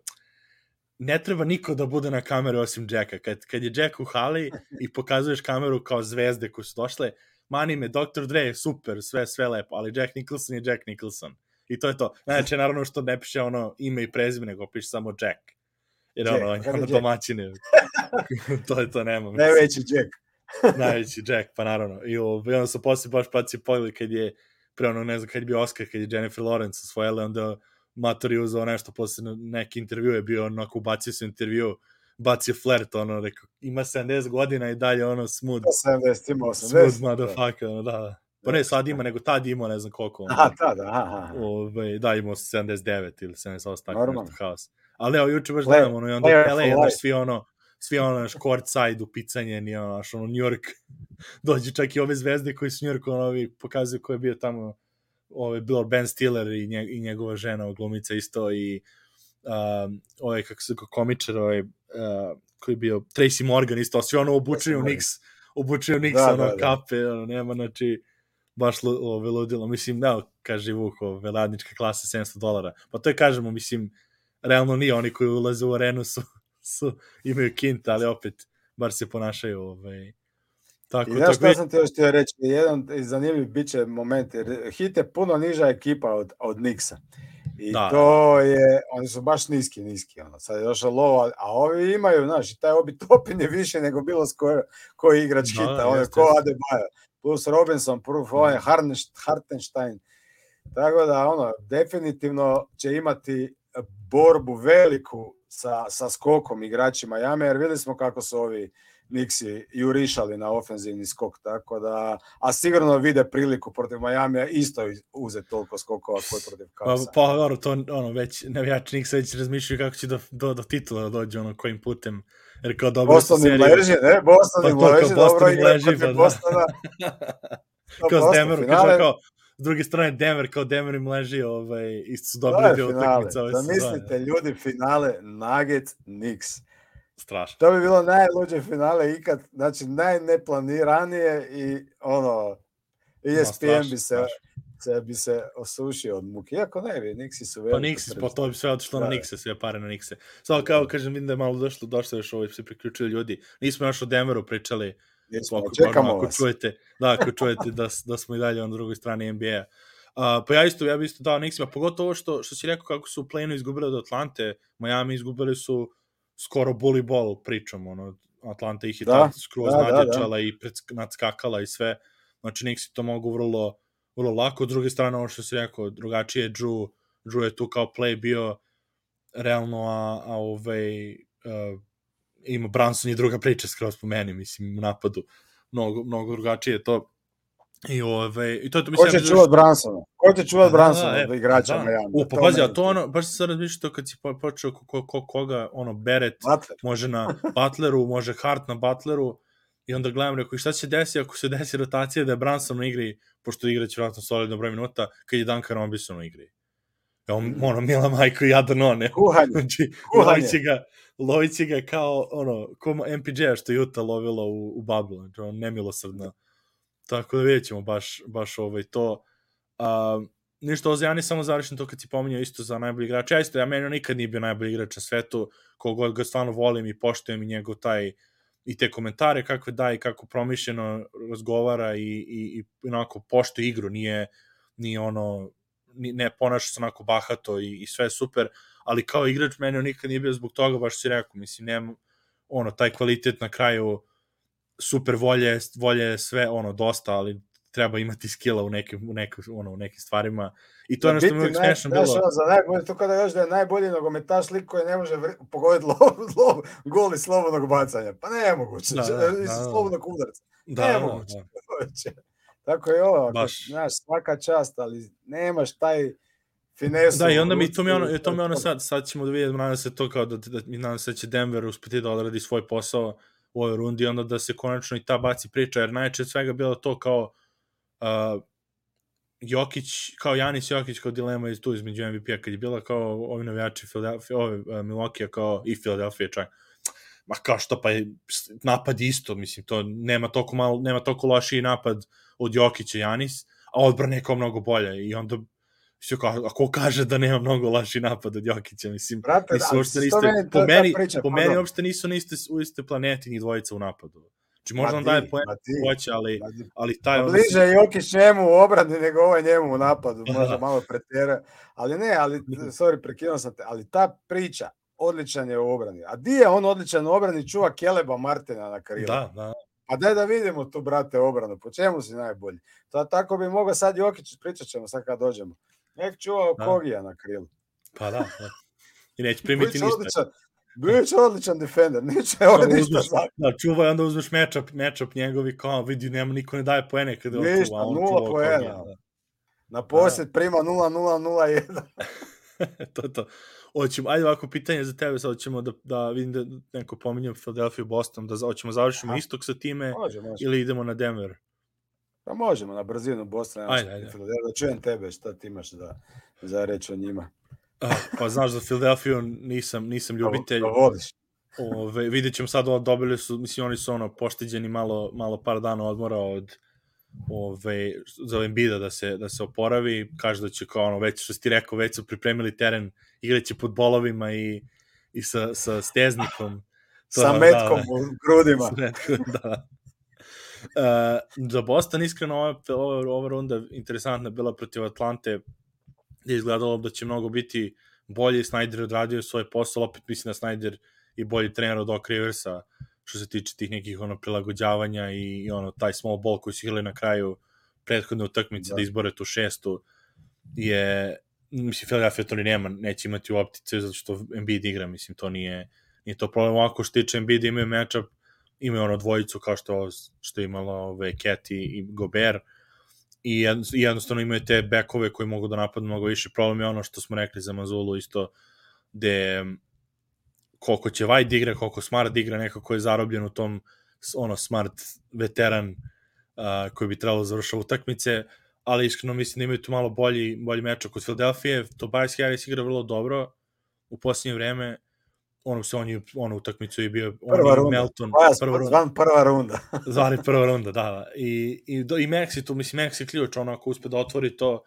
[SPEAKER 1] ne treba niko da bude na kameru osim Jacka. Kad je Jack u hali i pokazuješ kameru kao zvezde koje su došle, mani me, Dr. Dre je super, sve lepo, ali Jack Nicholson je Jack Nicholson. I to je to. Znači, naravno što ne piše ime i prezime, nego piše samo Jack. Jer domaćine. to nema.
[SPEAKER 2] Najveći Jack.
[SPEAKER 1] Najveći Jack, pa naravno. I onda su poslije baš pogled kad je ne znam, kad je bio Oscar, kad je Jennifer Lawrence osvojila, onda Mator je uzao nešto, posle neki intervju je bio, onako bacio se intervju, bacio flert, rekao, ima 70 godina i dalje, smooth.
[SPEAKER 2] 70, ima 80.
[SPEAKER 1] Smooth motherfucker, da. Pa ne, sad ima, nego tad imao, ne znam koliko.
[SPEAKER 2] Aha.
[SPEAKER 1] Da, imao 79 ili 78, tako nešto haos. Ali evo, juče baš gledam, i onda LA, svi courtside upicanje, New York, dođe čak i ove zvezde koji su New York, pokazuju ko je bio tamo, bilo Ben Stiller i njegova žena, glumica isto, i kako se komičar, koji je bio Tracy Morgan isto, svi obučeni u Knicks, kape, nema, znači, baš ludilo. Mislim, kaže Vuk, radnička klasa $700. Pa to je, kažemo, mislim, realno nije, oni koji ulaze u arenu imaju kint, ali opet, bar se ponašaju,
[SPEAKER 2] Tako, i znaš šta sam ti još htio reći, jedan zanimljiv bit će moment, jer Heat je puno niža ekipa od Knicksa. I to je, oni su baš niski, ono. Sad je došao Lova, a ovi imaju, znaš, taj Obi Toppin je više nego bilo koji igrač hita, on je ko Adebayo, plus Robinson, plus Hartenstein, tako da, ono, definitivno će imati borbu veliku sa skokom igrači Miami, jer vidjeli smo kako su ovi Knicksi jurišali na ofenzivni skok, tako da, a sigurno vide priliku protiv Miamija isto uzeti toliko skokova koji protiv Cavsa.
[SPEAKER 1] Pa to već navijači Knicks već razmišljaju kako će do titula dođe kojim putem, jer kao dobro su seriju.
[SPEAKER 2] Boston im leži, dobro igra protiv Bostona.
[SPEAKER 1] Kao s Denverom, kao s druge strane Denver, kao Denver im leži, isto su dobili dio utakmica ove sezone.
[SPEAKER 2] Zamislite ljudi finale Nuggets Knicks.
[SPEAKER 1] Strašno.
[SPEAKER 2] To bi bilo najluđe finale ikad, znači najneplaniranije i ESPN bi se osušio od muke. Iako ne bi, Knicksi su veliki.
[SPEAKER 1] Pa Knicksi, to bi sve otišlo na Knickse, sve pare na Knickse. Samo kao kažem, vidim da je malo došlo još se priključili ljudi. Nismo još o Denveru pričali.
[SPEAKER 2] Čekamo vas.
[SPEAKER 1] Ako čujete da smo i dalje na drugoj strani NBA. Pa ja bi isto dao Knicksima, pogotovo što si rekao kako su u play-inu izgubili od Atlante, Miami izgubili su skoro bully ball pričom, Atlanta ih je skroz nadjačala i nadskakala i sve, znači Knicksi to mogu vrlo, vrlo lako. S druge strane, ovo što si rekao, drugačije Drew je tu kao play bio realno, ima Brunson i druga priča skroz po meni, mislim, u napadu mnogo drugačije to. I to je to, mislim,
[SPEAKER 2] ko će čuvat Brunsona? Ko će čuvat Brunsona od igrača Miami?
[SPEAKER 1] Pa pazi, a to baš se sad razmišljao kad si počeo koga, Beret može na Butleru, može Hart na Butleru, i onda gledam, rekao, šta će desiti ako se desi rotacija da je Brunson na igri, pošto igraće vratno solidno broj minuta, kad je Duncan Robinson na igri. Mila majko i jadan on, lovit će ga kao, ko MPJ-a što je Utah lovilo u bubble, znači, nemilosrdno. Tako da vidjet ćemo baš to. Ništa o Zijani, samo završim to kad si pominjao isto za najbolji igrač. Ja meni nikad nije bio najbolji igrač na svetu, kogod ga stvarno volim i poštujem i njegov i te komentare kakve daje, kako promišljeno razgovara i onako poštuje igru, ne ponaša se onako bahato i sve super, ali kao igrač meni nikad nije bio zbog toga, baš si rekao, mislim, nema taj kvalitet na kraju, super volje sve dosta, ali treba imati skilla u nekim stvarima. I to je nešto mi uvijek smešno bilo.
[SPEAKER 2] To kada još da je najbolji nogometaš lik koji ne može pogoditi gol iz slobodnog bacanja. Pa nemoguće. Iz slobodnog udarca. Nemoguće. Tako je ovo. Znaš, svaka čast, ali nemaš taj finesu.
[SPEAKER 1] Da, i onda to mi sad ćemo da vidjeti, nadam se to kao nadam se da će Denver uspeti da odradi svoj posao u ovoj rundi, onda da se konačno i ta baci priča, jer najče svega bilo to kao Janis Jokić kao dilema između MVP-a, kad je bila kao ovi navijači Milwaukee kao i Philadelphia čak, ma kao što pa je napad isto, mislim, to nema toliko lošiji napad od Jokića Janis, a odbrana je kao mnogo bolja, i onda ako kaže da nema mnogo loši napad od Jokića, mislim,
[SPEAKER 2] brate,
[SPEAKER 1] po meni uopšte nisu u iste planeti ni dvojica u napadu. Znači, možda on daje poen hoće, ali taj...
[SPEAKER 2] Bliže Jokić njemu u obrani nego ovaj njemu u napadu, možda malo pretjera. Ali ne, prekinuo sam te, ali ta priča, odličan je u obrani. A di je on odličan u obrani, čuva Keleba Martina na krilu?
[SPEAKER 1] Da.
[SPEAKER 2] Pa daj da vidimo tu, brate, obranu, po čemu si najbolji? Tako bi mogao sad Jokić, pričat ćemo sad kad dođemo. Nek čuvao Kogija na krilu.
[SPEAKER 1] Pa da. I neće primiti ništa.
[SPEAKER 2] Bio će odličan defender, neće ovo ništa zakon.
[SPEAKER 1] Da, čuvaj, onda uzmeš matchup njegovi, kao vidi, niko ne daje poene.
[SPEAKER 2] Ništa, 0 poena. Na posjed prima 0-0-0-1.
[SPEAKER 1] To je to. Ajde ovako, pitanje za tebe, sad ćemo da vidim da neko pominjem Philadelphia Boston, da hoćemo završimo istok sa time ili idemo na Denver?
[SPEAKER 2] Pa možemo na brzinu Boston.
[SPEAKER 1] Ajde.
[SPEAKER 2] Da čujem tebe, šta ti imaš za reći o njima.
[SPEAKER 1] Pa znaš, za Philadelphia nisam ljubitelj.
[SPEAKER 2] Da vodiš.
[SPEAKER 1] Vidjet ćemo sad, dobili su, mislim, oni su pošteđeni malo par dana odmora za Embida da se oporavi. Kaže da će kao već što si ti rekao, već su pripremili teren, igraće pod bolovima i sa steznikom.
[SPEAKER 2] Sa metkom u grudima.
[SPEAKER 1] Da. Za Boston iskreno ova runda interesantna bila protiv Atlante. je izgledalo da će mnogo biti bolje. Snyder je odradio svoj posao, opet mislim da Snyder i bolji trener od Doc Riversa što se tiče tih nekih prilagođavanja i taj small ball koji su igrali na kraju prethodne utakmice da izbore tu 6. je, mislim, Philadelphia to neće imati u optice zato što Embiid igra, mislim, to nije to problem. Ovako što tiče Embiid imaju matchup, imaju dvojicu kao što je imalo Cat i Gobert i jednostavno imaju te bekove koji mogu da napadnu mnogo više. Problem je ono što smo rekli za Mazulu isto, gde koliko će White igra, koliko Smart igra, nekako je zarobljen u tom Smart veteran koji bi trebalo završati utakmice, ali iskreno mislim da imaju tu malo bolji matchup kod Philadelphia. Tobias Harris igra vrlo dobro u posljednje vreme, onu utakmicu je bio
[SPEAKER 2] prva runda,
[SPEAKER 1] Melton,
[SPEAKER 2] prva runda.
[SPEAKER 1] Zvani prva runda, da. I Maxi tu, mislim, Maxi ključ, ako uspe da otvori to,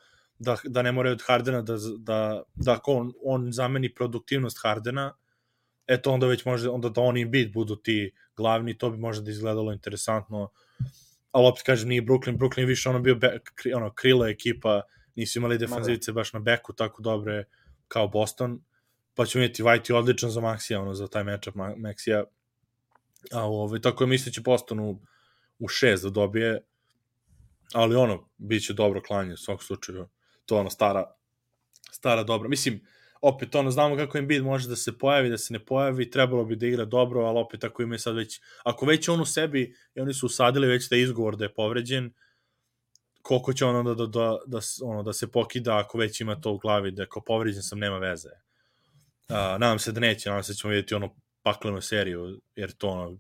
[SPEAKER 1] da ne moraju od Hardena, da ako on zameni produktivnost Hardena, eto onda već može, onda da on i Embiid budu ti glavni, to bi možda da izgledalo interesantno, ali opet kažem, nije Brooklyn više bio krilo ekipa, nisu imali defanzivice baš na beku tako dobre kao Boston, pa ćemo vidjeti, White je odličan za Maxija, za taj matchup Maxija, tako je misleći Boston u 6 da dobije, ali bit će dobro klanje u svakom slučaju, to stara dobra, mislim, opet znamo kako Embiid može da se pojavi, da se ne pojavi, trebalo bi da igra dobro, ali opet ako ima sad već, ako već on u sebi i oni su usadili već da je izgovor da je povređen, koliko će on onda da se pokida ako već ima to u glavi, da ako povređen sam, nema veze. Nadam se da neće, nadam se da ćemo vidjeti paklenu seriju, jer to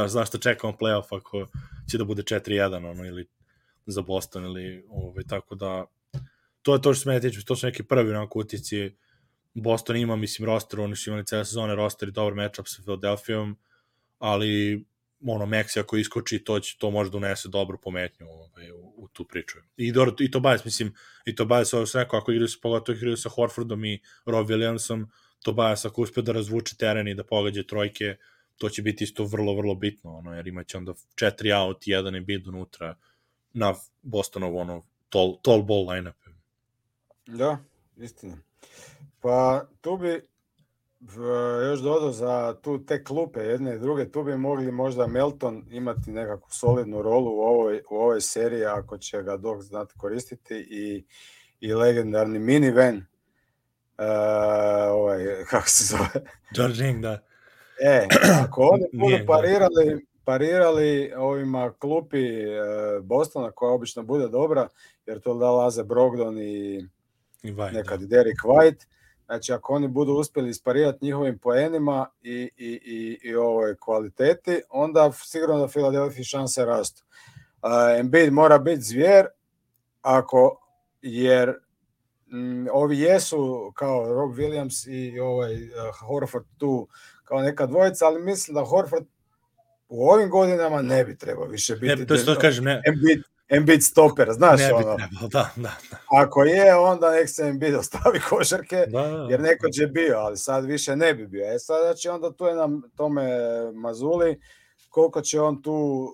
[SPEAKER 1] zašto čekamo playoff ako će da bude 4-1 ili za Boston ili tako da to je to što se mene tiče, to su neki prvi utisci. Boston ima, mislim, roster, oni su imali cele sezone roster i dobar matchup sa Philadelphiaom, ali Maxi ako iskoči, to može da unese dobru pometnju u tu priču. I Tobias, mislim, i Tobias, ovo se neko, ako igraju sa Horfordom i Rob Williamsom, Tobias ako uspe da razvuče teren i da pogađa trojke, to će biti isto vrlo, vrlo bitno, jer imaće onda 4 out i 1 Embiid unutra na Bostonov tall ball line-up.
[SPEAKER 2] Da, istina. Pa tu bi još dodao za te klupe jedne i druge, tu bi mogli možda Melton imati nekakvu solidnu rolu u ovoj seriji ako će ga Doc znati koristiti i legendarni minivan, kako se zove?
[SPEAKER 1] George Ring, da.
[SPEAKER 2] Ako oni budu parirali ovima klupi Bostona koja obično bude dobra, jer to da Laze Brogdon i nekad Derek White, znači ako oni budu uspjeli isparirati njihovim poenima i ovoj kvaliteti, onda sigurno da Philadelphia šanse rastu. Embiid mora biti zvijer, jer ovi jesu kao Rob Williams i Horford tu kao neka dvojica, ali mislim da Horford u ovim godinama ne bi trebao više biti Embiid stoper, znaš
[SPEAKER 1] ne bi trebao, da.
[SPEAKER 2] Ako je, onda nek se Embiid ostavi košarke, jer nekoć je bio, ali sad više ne bi bio. Sad znači onda tu je nam tome Mazuli, koliko će on tu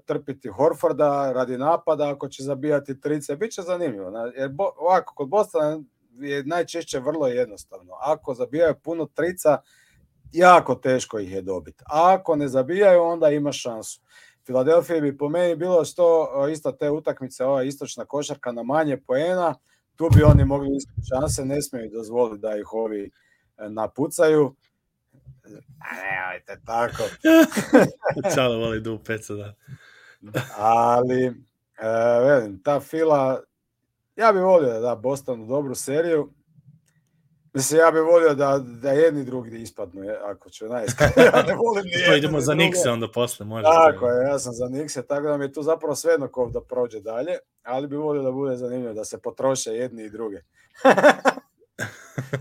[SPEAKER 2] trpiti Horforda radi napada, ako će zabijati trice, bit će zanimljivo. Jer ovako, kod Bostona je najčešće vrlo jednostavno. Ako zabijaju puno trica, jako teško ih je dobiti. A ako ne zabijaju, onda ima šansu. Philadelphia bi po meni bilo isto te utakmice, ova istočna košarka na manje poena, tu bi oni mogli iskati šanse, ne smiju dozvoliti da ih ovi napucaju. Nemojte tako.
[SPEAKER 1] Čalo voli du peca, da.
[SPEAKER 2] Ali, ta Fila, ja bih volio da da Bostonu dobru seriju. Mislim, ja bih volio da jedni drugi ispadnu, ako ću najiskrenije. Ja ne volim ni
[SPEAKER 1] to idemo za Knickse onda posle, može.
[SPEAKER 2] Tako je, ja sam za Knickse, tako da mi je tu zapravo svejedno ko da prođe dalje, ali bih volio da bude zanimljivo, da se potroše jedni i druge.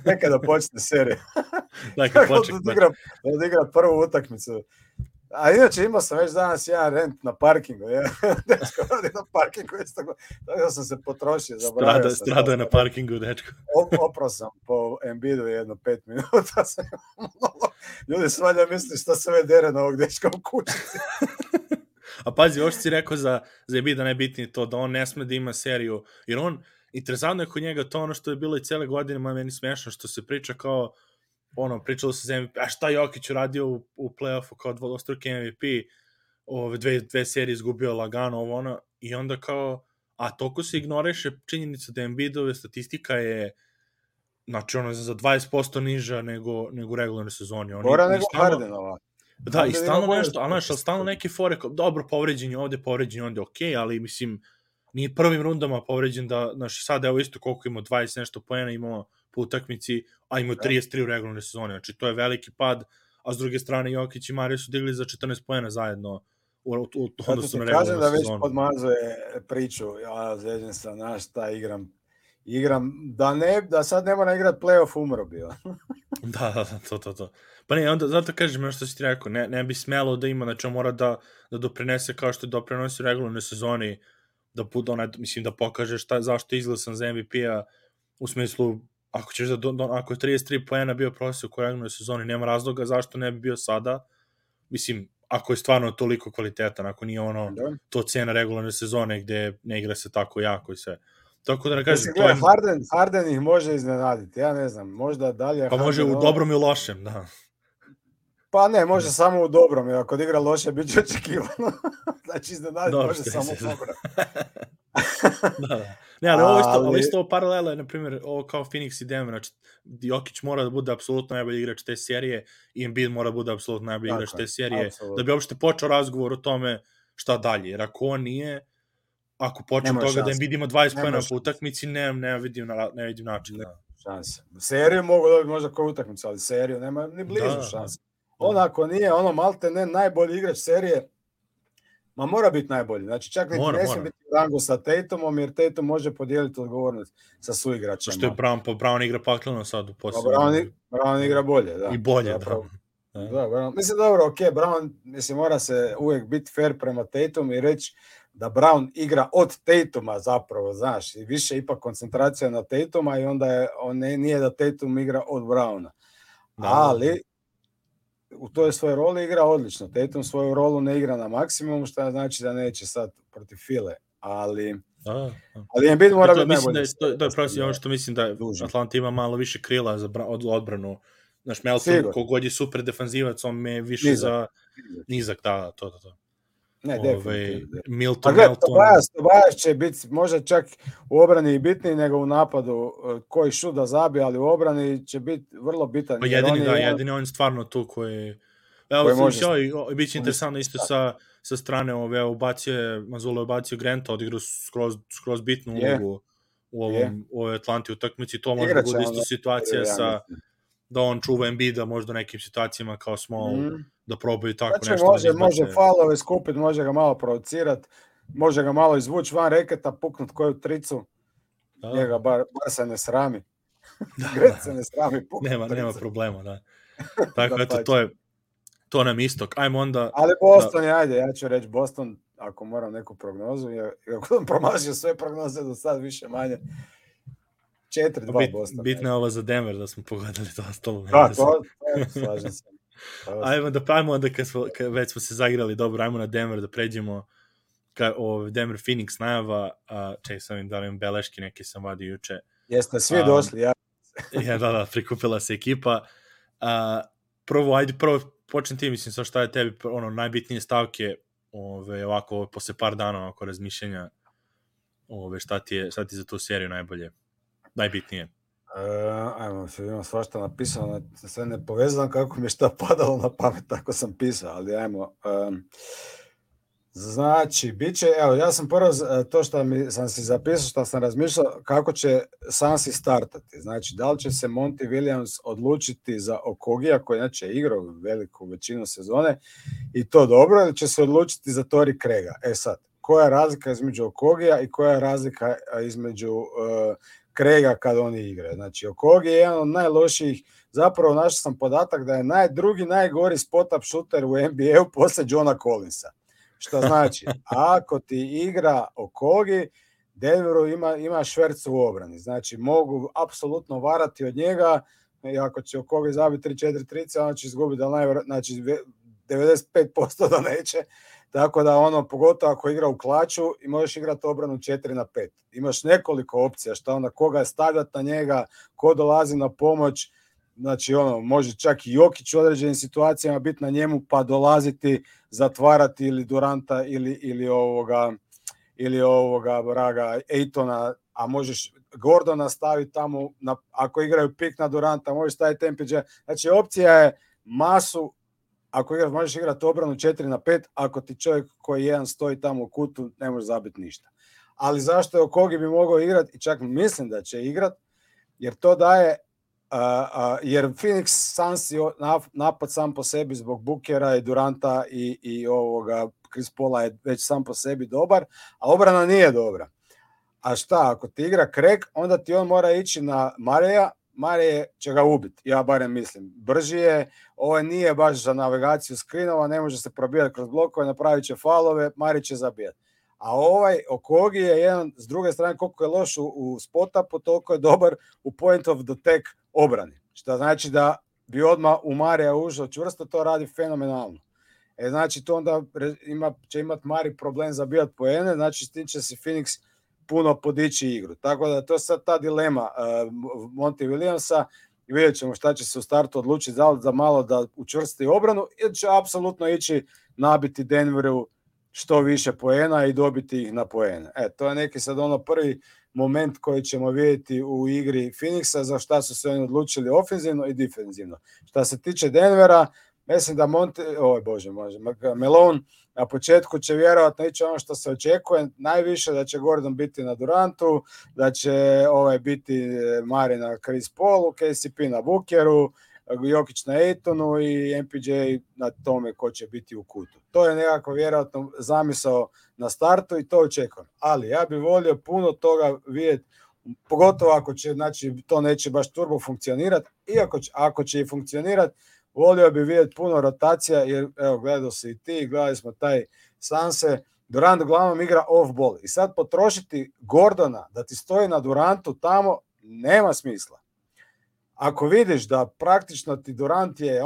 [SPEAKER 2] Nekada počne serija. Da igra prvu utakmicu. A inače imao sam već danas jedan rent na parkingu. Dečko radi na parkingu. Tako sam se potrošio.
[SPEAKER 1] Strado je na parkingu, dečko.
[SPEAKER 2] Oprao sam po Embiidu jedno 5 minuta. Ljudi svalja misli što se ve dere na ovog dečka u kućici.
[SPEAKER 1] A pazi, ovo što si rekao za Embiida najbitnije to, da on ne sme da ima seriju. Jer on, interesantno je kod njega to ono što je bilo i cele godine, meni smiješno, što se priča kao, pričalo se za MVP, a šta Jokić uradio u play-offu kao dvostruki MVP, dve serije izgubio lagano, i onda kao, a toliko se ignoriše činjenica da Embiidove statistika je, znači, za 20% niža nego u regularnoj sezoni.
[SPEAKER 2] Gora nego Hardenova.
[SPEAKER 1] Da, i stalno nešto, ali stalno neke fore, dobro, povređen je ovde, okej, ali mislim, nije prvim rundama povređen da, znači, sad evo isto koliko imao 20 nešto poena, imao po utakmici, a imao 33 u regularnoj sezoni, znači to je veliki pad, a s druge strane Jokić i Mario su digli za 14 poena zajedno u odnosu na regularnu sezonu.
[SPEAKER 2] Kažem da već podmazuje priču, ja zveđen sam, znaš, šta igram, da sad ne mora igrati play-off, umro bio.
[SPEAKER 1] Da, to. Pa ne, onda zato kažem što si ti rekao, ne bi smelo da ima, znači on mora da doprinese kao što je doprinosi u regularnoj sezoni, da bude mislim da pokaže zašto je izglasan za MVP-a, u smislu, ako ćeš ako je 33 poena bio prosjek u regularnoj sezoni, nema razloga zašto ne bi bio sada, mislim, ako je stvarno toliko kvalitetan, ako nije to cena regularne sezone gde ne igra se tako jako i sve. Tako da ne kažem,
[SPEAKER 2] to je... Harden ih može iznenaditi, ja ne znam, možda dalje...
[SPEAKER 1] Pa može u dobrom i u lošem, da.
[SPEAKER 2] Pa ne, može samo u dobrom, jer ako igra loše, bit će očekivano. Znači, iznenaditi može samo u dobrom.
[SPEAKER 1] Da. Ne, ali isto paralela je, na primjer, ovo kao Phoenix i Denver, znači, Jokić mora da bude apsolutno najbolji igrač te serije i Embiid mora da bude apsolutno najbolji igrač te serije, da bi uopšte počeo razgovor o tome šta dalje, jer ako on nije, ako počne toga da Embiid ima 20 poena po utakmici, ne vidim način.
[SPEAKER 2] Šanse. Seriju mogu dobiti možda kao utakmicu, ali seriju nema ni blizu šanse. Ako nije malte ne najbolji igrač serije, ma mora biti najbolji. Znači čak ne smije biti u rangu sa Tatumom, jer Tatum može podijeliti odgovornost sa suigračima.
[SPEAKER 1] Što je Brown igra pakleno sad u posljednju.
[SPEAKER 2] Brown igra bolje, da.
[SPEAKER 1] I bolje,
[SPEAKER 2] da. Mislim, dobro, Brown, mislim, mora se uvijek biti fair prema Tatumu i reći da Brown igra od Tatuma zapravo, znaš, i više ipak koncentracija na Tatuma i onda nije da Tatum igra od Browna. Ali u toj svojoj roli igra odlično. Tatum svoju rolu ne igra na maksimum, što znači da neće sad protiv File, ali Embiid mora biti najbolji.
[SPEAKER 1] To je prosim ono što mislim da Atlanta ima malo više krila za odbranu. Znaš, Melton, kogod je super defanzivac, on me više za nizak, da, to.
[SPEAKER 2] Ne, definitivno.
[SPEAKER 1] Milton.
[SPEAKER 2] Tobias će biti možda čak u obrani i bitniji nego u napadu, koji šut da zabije, ali u obrani će biti vrlo bitan.
[SPEAKER 1] Pa jedini on stvarno tu koji... Evo, bit će interesantno isto sa strane Mazula je ubacio Granta, odigrao skroz bitnu ulogu u ovoj Atlanti utakmici. To može da bude isto situacija sa da on čuva Embiida možda u nekim situacijama kao small, da probaju tako nešto.
[SPEAKER 2] Može faulove skupiti, može ga malo provocirati, može ga malo izvući van reketa, puknut koju tricu, njega bar se ne srami. Gret se ne srami puknut.
[SPEAKER 1] Nema problema, da. Tako, eto, to nam istok. Ajmo onda...
[SPEAKER 2] Ali Boston je, ajde, ja ću reći Boston, ako moram neku prognozu, ako sam promašio sve prognoze do sad više manje, 4-2 Boston.
[SPEAKER 1] Bitno je ovo za Denver da smo pogodili to ostalo.
[SPEAKER 2] Da, to slažem se.
[SPEAKER 1] Ajmo da pravimo onda kad već smo se zagrali dobro, ajmo na Denver da pređemo Denver Phoenix najava, čekaj sam im da li imam beleški, neke sam vadio juče.
[SPEAKER 2] Jeste svi došli, ja.
[SPEAKER 1] Da, prikupila se ekipa. Prvo počnem ti, mislim, sa šta je tebi najbitnije stavke ovako, posle par dana oko razmišljenja, šta ti je za tu seriju najbitnije?
[SPEAKER 2] Ajmo, imam svašta napisano, sve ne povezano kako mi je šta padalo na pamet, tako sam pisao, ali ajmo. Znači, bit će, evo, ja sam prvo to što sam si zapisao, što sam razmišljao, kako će Sansi startati. Znači, da li će se Monty Williams odlučiti za Okogija, koji inače je igrao veliku većinu sezone, i to dobro, ili će se odlučiti za Torrey Craiga? Sad, koja je razlika između Okogija i koja je razlika između Craiga kad oni igraju? Znači, Okogi je jedan od najlošijih, zapravo našao sam podatak da je drugi najgori spot-up shooter u NBA-u posle Johna Collinsa. Što znači, ako ti igra Okogi, Denveru ima švercu u obrani. Znači, mogu apsolutno varati od njega, i ako će Okogi zabiti 3-4 trice, on će izgubiti, znači 95% da neće. Tako da ono, pogotovo ako igra u klaču i možeš igrati obranu 4-5. Imaš nekoliko opcija šta onda koga stavljati na njega, ko dolazi na pomoć. Znači ono, može čak i Jokić u određenim situacijama biti na njemu pa dolaziti, zatvarati ili Duranta ili ovoga vraga Aytona, a možeš Gordona staviti tamo, ako igraju pik na Duranta, možeš staviti MPJ. Znači opcija je masu. Ako možeš igrati obranu 4-5, ako ti čovjek koji jedan stoji tamo u kutu, ne može zabiti ništa. Ali zašto je Okogi bi mogao igrati, i čak mislim da će igrati, jer to daje, jer Phoenix Suns je napad sam po sebi zbog Bookera i Duranta i ovoga Chris Paula je već sam po sebi dobar, a obrana nije dobra. A šta, ako ti igra Craig, onda ti on mora ići na Mareja, Marije će ga ubiti, ja barem mislim. Brži je, ovo nije baš za navigaciju skrinova, ne može se probijati kroz blokove, napravit će falove, Mari će zabijati. A ovaj Okogi je jedan, s druge strane, koliko je loš u spot-upu, toliko je dobar u point of the attack obrani. Što znači da bi odmah u Marija ušao čvrsto, to radi fenomenalno. Znači to onda će imati Mari problem zabijati poene, znači s tim će se Phoenix puno podići igru. Tako da to je sad ta dilema Monty Williamsa i vidjet ćemo šta će se u startu odlučiti za malo da učvrsti obranu ili će apsolutno ići nabiti Denveru što više poena i dobiti ih na poene. To je neki sad ono prvi moment koji ćemo vidjeti u igri Phoenixa za šta su se oni odlučili ofenzivno i defenzivno. Šta se tiče Denvera, mislim da Malone na početku će vjerojatno ići ono što se očekuje, najviše da će Gordon biti na Durantu, da će biti Mari na Chris Paulu, KCP na Bookeru, Jokić na Aytonu i MPJ na tome ko će biti u kutu. To je nekako vjerojatno zamisao na startu i to očekujem. Ali ja bih volio puno toga vidjeti, pogotovo ako će, znači to neće baš turbo funkcionirati, i ako će i funkcionirati, volio bi vidjeti puno rotacija, jer evo, gledao si i ti, gledali smo taj Sanse, Durant uglavnom igra off-ball. I sad potrošiti Gordona da ti stoji na Durantu tamo, nema smisla. Ako vidiš da praktično ti Durant je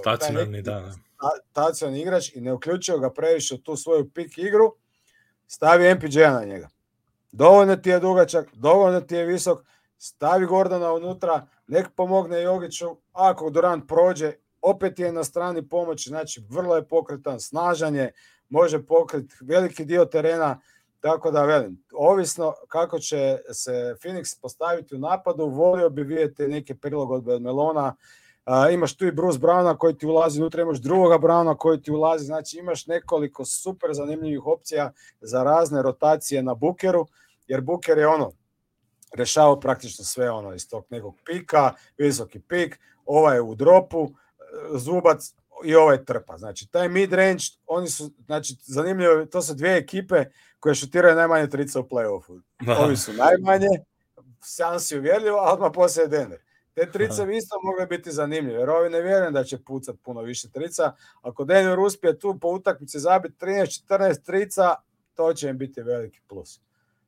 [SPEAKER 1] stacionarni,
[SPEAKER 2] stacionarni igrač i ne uključio ga previše u tu svoju pik igru, stavi MPJ-a na njega. Dovoljno ti je dugačak, dovoljno ti je visok, stavi Gordona unutra, nek pomogne Jokiću, ako Durant prođe, opet je na strani pomoći, znači vrlo je pokretan, snažan je, može pokriti veliki dio terena, tako da velim, ovisno kako će se Phoenix postaviti u napadu, volio bi vidjeti neke prilagodbe od Melona, imaš tu i Bruce Browna koji ti ulazi unutra, imaš drugoga Browna koji ti ulazi, znači imaš nekoliko super zanimljivih opcija za razne rotacije na Bookeru, jer Booker je rešavao praktično sve iz tog nekog pika, visoki pik, ovaj je u dropu, Zubac i ovaj trpa. Znači, taj mid-range, oni su, znači, zanimljivo, to su dvije ekipe koje šutiraju najmanje trica u play-offu. Ovi su najmanje, Suns je uvjerljivo, a odmah poslije Denver. Te trice bi isto mogle biti zanimljive, jer ovi ne vjerujem da će pucati puno više trica. Ako Denver uspije tu po utakmici zabiti 13-14 trica, to će im biti veliki plus.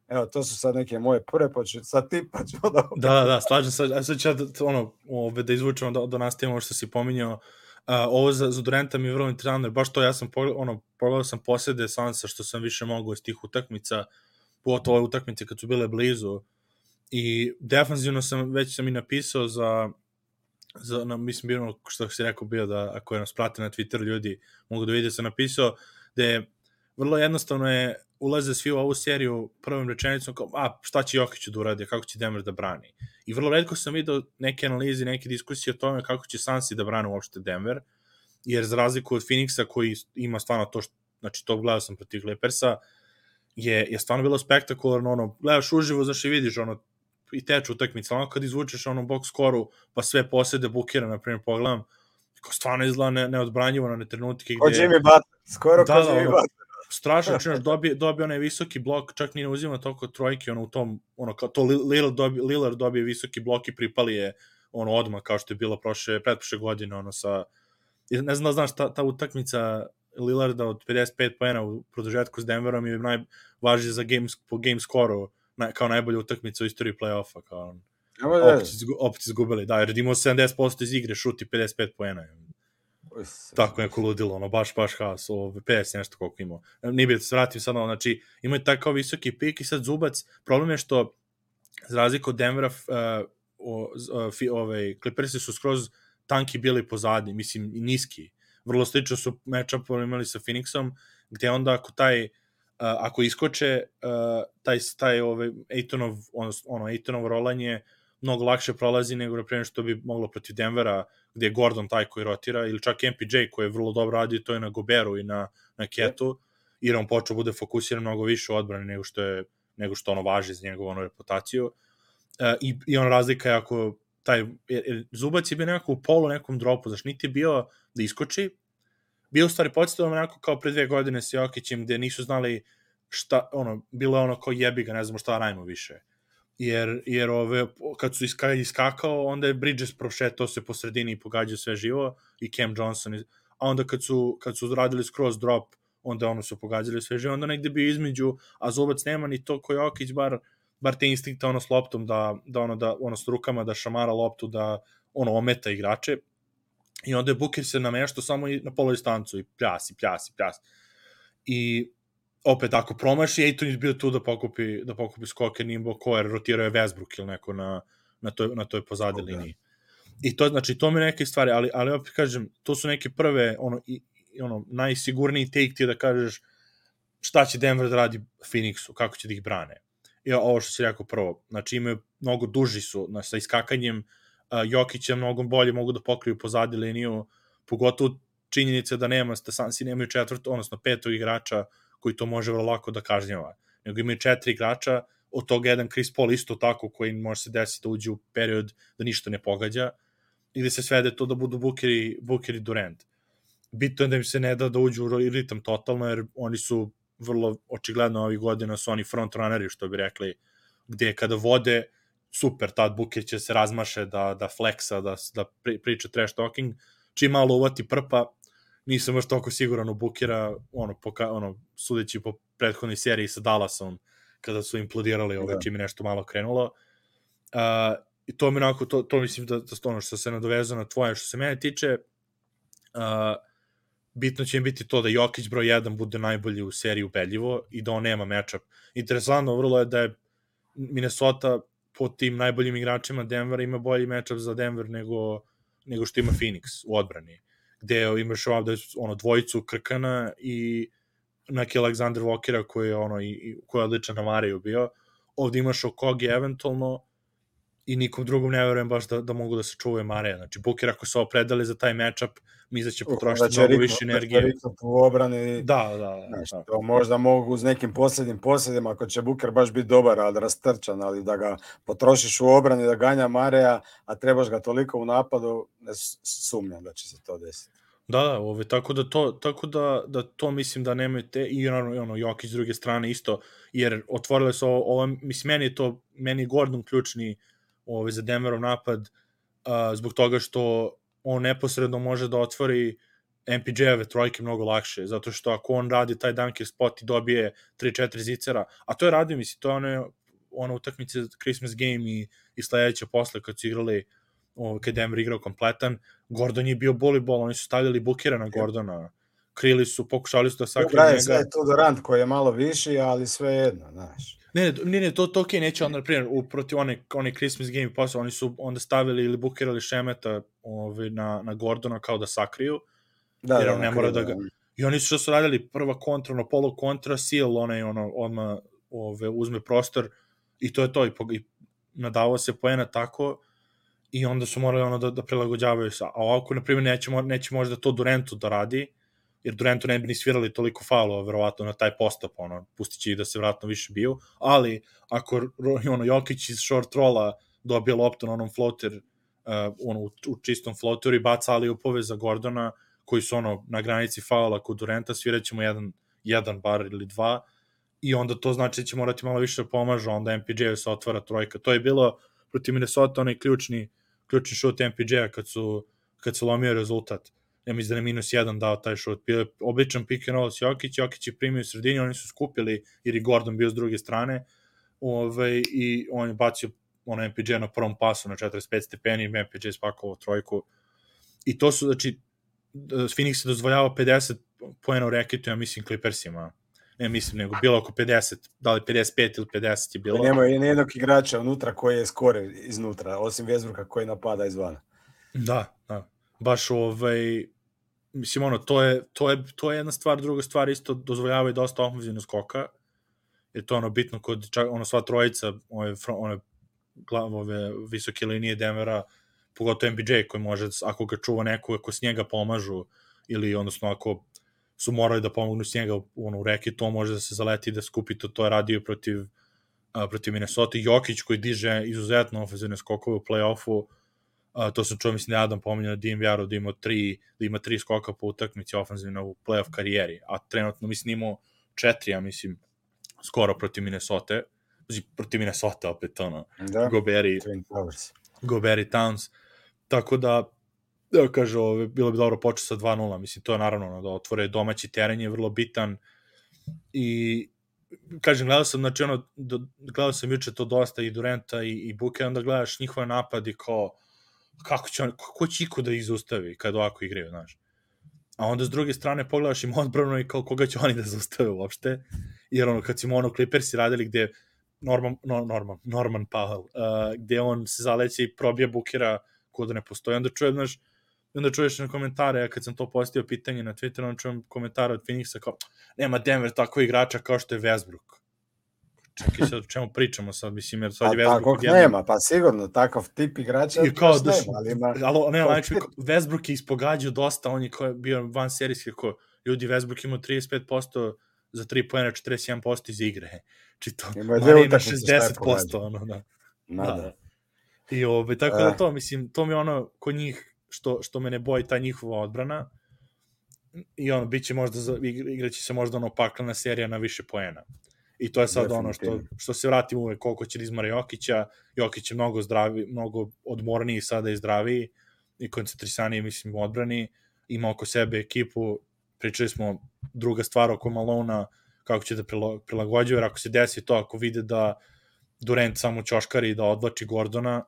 [SPEAKER 2] Evo, to su sad neke moje prve, sad ti pa ću
[SPEAKER 1] Da, slažem se. A sad ću da izvučemo do nastavimo što si pominjao. Ovo za Duranta mi je vrlo interesantno, jer baš to ja sam pogledao sam posljede Sansa što sam više mogao iz tih utakmica, pogotovo ove utakmice kad su bile blizu. I defanzivno već sam i napisao mislim bilo što si rekao bio da ako nas prate na Twitter ljudi mogu da vide, sam napisao da je vrlo jednostavno ulaze svi u ovu seriju prvom rečenicom kao, šta će Jokić da uradi, kako će Denver da brani. I vrlo retko sam vidio neke analize, neke diskusije o tome kako će Sansi da brane uopšte Denver, jer za razliku od Phoenixa koji ima stvarno to, znači to gledao sam protiv Clippersa, je stvarno bilo spektakularno, gledaš uživo, znaš i vidiš i teče utakmica, kad izvučeš box skoru, pa sve posede Bookera, na primjer, pogledam, stvarno izgleda neodbranjivo na trenutke
[SPEAKER 2] gde... Jimmy Butler, skoro kao Jimmy Butler.
[SPEAKER 1] Strašno, dobije onaj visoki blok, čak ni ne uzima toliko trojke, u tom, kao to Lillard dobije visoki blok i pripali je odmah, kao što je bilo pretprošle godine, ne znam da znaš, ta utakmica Lillarda od 55 poena u produžetku s Denverom je najvažnije za po game scoru, kao najbolja utakmica u istoriji play-offa, kao opet izgubili, da, jer imao 70% iz igre, šuti 55 poena. Tako neko ludilo, ono, baš haos, 50 nešto koliko imao. Nije bi da se vratim sad, znači, imaju takav visoki pik i sad Zubac, problem je što, za razliku od Denvera, Clippersi su skroz tanki bili pozadi, mislim, i niski. Vrlo slično su matchup imali sa Phoenixom, gde onda ako iskoče taj Aytonov rolanje mnogo lakše prolazi nego na primjer što bi moglo protiv Denvera, gde je Gordon taj koji rotira, ili čak MPJ koji je vrlo dobro radio, to je na Goberu i na Ketu, jer on počeo bude fokusiran mnogo više u odbrani nego što ono važi za njegovu reputaciju. I on razlika je ako Zubac je bio nekako u polu nekom dropu, znaš, niti je bio da iskoči, bio u stvari podsjetilo nekako kao pre 2 godine sa Jokićem, gde nisu znali šta, bilo je kao jebi ga, ne znamo šta radimo više. Jer kad su iskakao, onda je Bridges prošetao se po sredini i pogađao sve živo, i Cam Johnson, a onda kad su radili skroz drop, onda su pogađali sve živo, onda negde bio između, a Zubac nema ni to ko Jokić, bar te instinkta s loptom, da s rukama da šamara loptu, da ometa igrače, i onda je Booker se nameštao samo na polodistancu i pljas. I opet, ako promaši, Ayton je bio tu da pokupi skoker, nije imao ko, jer rotirao je Westbrook ili neko na toj pozadi liniji. I to, znači, to mi je neke stvari, ali opet kažem, to su neke prve, najsigurniji take ti da kažeš šta će Denver da radi Phoenixu, kako će da ih brane. I ovo što si rekao prvo, znači imaju, mnogo duži su, sa iskakanjem, Jokića mnogo bolje mogu da pokriju pozadi liniju, pogotovo činjenice da Sansi nemaju petog igrača koji to može vrlo lako da kažnjava, nego imaju 4 igrača, od toga jedan Chris Paul isto tako, koji može se desiti da uđe u period da ništa ne pogađa, i gde se svede to da budu Booker i Durant. Bitno je da im se ne da uđu u ritam totalno, jer oni su vrlo očigledno ovih godina su oni frontrunneri, što bi rekli, gde kada vode, super, tad Booker će se razmaše da fleksa, da priča trash talking, čim malo uvati prpa, nisam još toliko siguran u Bookera, sudeći po prethodnoj seriji sa Dallasom, kada su implodirali čim je nešto malo krenulo. I to mi onako, to mislim da ono što se nadovezao na tvoje, što se mene tiče, bitno će im biti to da Jokić broj 1 bude najbolji u seriji ubedljivo i da on nema matchup. Interesantno vrlo je da je Minnesota po tim najboljim igračima Denvera ima bolji matchup za Denver nego što ima Phoenix u odbrani, gde imaš ovdje dvojicu Krkana i neki Alexander Walkera koji je odličan na Mariju bio. Ovdje imaš Okogi eventualno i nikom drugom ne verujem baš da mogu da se čuvaju Marija. Znači, Booker ako se opredali za taj matchup, mi će potrošiti mnogo više energije.
[SPEAKER 2] U obrani,
[SPEAKER 1] da.
[SPEAKER 2] To možda mogu uz nekim posljedima, ako će Booker baš biti dobar, ali rastrčan, ali da ga potrošiš u obrani, da ganja Marija, a trebaš ga toliko u napadu, ne sumnjam da će se to desiti.
[SPEAKER 1] Da, tako da to mislim da nemaju te, i Jokić s druge strane isto, jer otvorile su ovo, mislim, meni je Gordon ključni za Denverov napad, zbog toga što on neposredno može da otvori MPJ-eve trojke mnogo lakše, zato što ako on radi taj dunker spot i dobije 3-4 zicera, a to je radio, mislim, to je ona utakmice Christmas game i sledeće posle kad su igrali, kad Denver igrao kompletan, Gordon je bio boli-bol, oni su stavljali Bookera na Gordona, krili su, pokušali su da sakriju njega.
[SPEAKER 2] Sve je to Durant koji je malo viši, ali sve jedno, znaš.
[SPEAKER 1] Ne, to okej, neće onda, na primjer, protiv one Christmas game posle, oni su onda stavili ili Bookera ili Šemeta na Gordona kao da sakriju, jer on ne mora da ga... I oni su što su radili, prva kontra, polu kontra, Seal, odmah uzme prostor, i to je to, i nadavao se poena tako, i onda su morali da prilagođavaju sa... A ovako, na primjer, neće možda to Durantu da radi, jer Durantu ne bi ni svirali toliko faulova, verovatno, na taj postap, pustit će i da se vratno više biju, ali ako Jokić iz short rolla dobije loptu na onom floater, u čistom floateru i baca ali upove za Gordona, koji su na granici faula kod Duranta, svirat ćemo jedan bar ili dva, i onda to znači da će morati malo više da pomažu, onda MPJ-u se otvara trojka. To je bilo protiv Minnesota onaj ključni šut MPJ-a kad su lomio rezultat. Ja mislim da je -1 dao taj šut. Bio je običan pick and roll s Jokić je primio u sredini, oni su skupili, jer je Gordon bio s druge strane, i on je bacio MPJ na prvom pasu na 45 stepeni, MPJ spakovao trojku. I to su, znači, Phoenix je dozvoljavao 50 poena u reketu, ja mislim Clippersima. Ne mislim, nego bilo oko 50, da li 55 ili 50 je bilo.
[SPEAKER 2] Nema i nijednog igrača unutra koji je skore iznutra, osim Westbrooka koji napada izvana.
[SPEAKER 1] Da. Baš mislim, to je jedna stvar, druga stvar isto dozvoljavaju dosta ofenzivno skoka, jer to bitno kod sva trojica, ove visoke linije Denvera, pogotovo MPJ koji može, ako ga čuva neko, ako s njega pomažu, ili odnosno ako su morali da pomognu s njega u reki, to može da se zaleti i da skupi, to je radio protiv Minnesota. Jokić koji diže izuzetno ofenzivne skokove u play-offu, to sam čuo, mislim da je Adam pominjao da DNVR-u da ima 3 skoka po utakmici ofenzivno u play-off karijeri, a trenutno mislim imao 4, ja mislim, skoro protiv Minnesota, opet Gobert i Towns, tako da kaže, bilo bi dobro početi sa 2-0, mislim, to je naravno da otvore domaći teren je vrlo bitan i kažem, gledao sam juče to dosta i Duranta i Booker, onda gledaš njihove napadi kao ko će iko da ih zaustavi kad ovako igraju, znaš. A onda s druge strane pogledaš im odbranu i kao koga će oni da zaustave uopšte, jer kad si Clippersi radili gde Norman Powell, gde on se zaleće i probija Bookera ko da ne postoji, onda čuješ na komentare, kad sam to postavio pitanje na Twitteru, onda čujem komentare od Phoenixa kao, nema Denver tako igrača kao što je Westbrook. Čekaj sad o čemu pričamo sad, mislim, jer sad je Westbrook...
[SPEAKER 2] Takvog nema, pa sigurno, takav tip igrača još nema, ali ima...
[SPEAKER 1] Westbrook je ispogađao dosta, on je bio van serijski, ljudi, Westbrook imao 35% za 3 poena, 41% iz igre. Čito,
[SPEAKER 2] ima
[SPEAKER 1] 60%, da. I tako da to, mislim, to mi je kod njih, što me ne boji ta njihova odbrana, i biće možda, igraće se možda paklena serija na više poena. I to je sad što se vratim uvek koliko će da izmara Jokića. Jokić je mnogo zdraviji, mnogo odmorniji sada i zdraviji i koncentrisaniji, mislim, u odbrani. Ima oko sebe ekipu, pričali smo druga stvar oko Malona, kako će da prilagođuje, jer ako se desi to, ako vide da Durant samo ćoškari i da odvlači Gordona,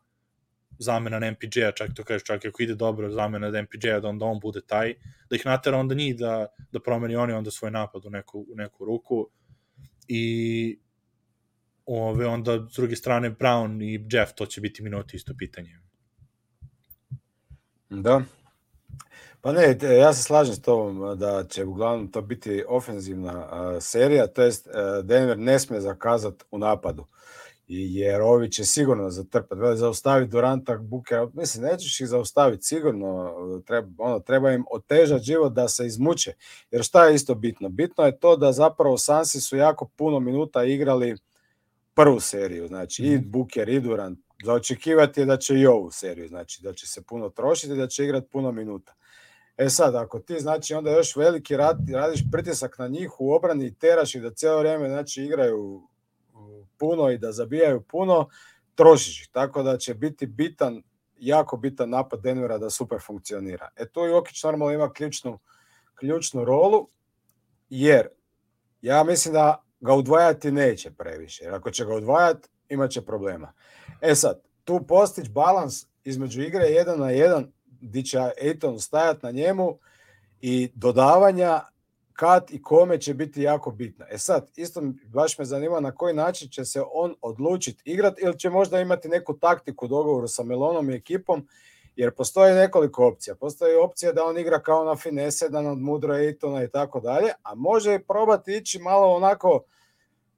[SPEAKER 1] zamena na MPJ-a, čak ako ide dobro zamena na MPJ-a, da onda on bude taj, da ih natera onda njih da promeni oni onda svoj napad u neku ruku. I onda s druge strane Brown i Jeff, to će biti minuti isto pitanje.
[SPEAKER 2] Da. Pa ne, ja se slažem s tobom da će uglavnom to biti ofenzivna serija, to jest Denver ne smije zakazati u napadu, jer ovi će sigurno zatrpati, zaustaviti Duranta, Bookera, mislim, nećeš ih zaustaviti, sigurno treba im otežati život da se izmuče, jer šta je isto bitno? Bitno je to da zapravo Sansi su jako puno minuta igrali prvu seriju, znači i Booker i Durant, za očekivati je da će i ovu seriju, znači da će se puno trošiti, da će igrati puno minuta. Sad, ako ti, znači, onda još veliki radiš pritisak na njih u obrani i teraš ih da cijelo vrijeme, znači, igraju puno i da zabijaju puno, trošiš ih. Tako da će biti jako bitan napad Denvera da super funkcionira. Tu Jokić normalno ima ključnu rolu, jer ja mislim da ga udvajati neće previše. Jer ako će ga udvajati, imat će problema. Sad, tu postići balans između igre 1 na 1, gdje će Ayton stajati na njemu i dodavanja kad i kome će biti jako bitno. Sad, isto baš me zanima na koji način će se on odlučiti igrati ili će možda imati neku taktiku u dogovoru sa Melonom i ekipom, jer postoji nekoliko opcija. Postoji opcija da on igra kao na finese, da nadmudro Aytona i tako dalje, a može probati ići malo onako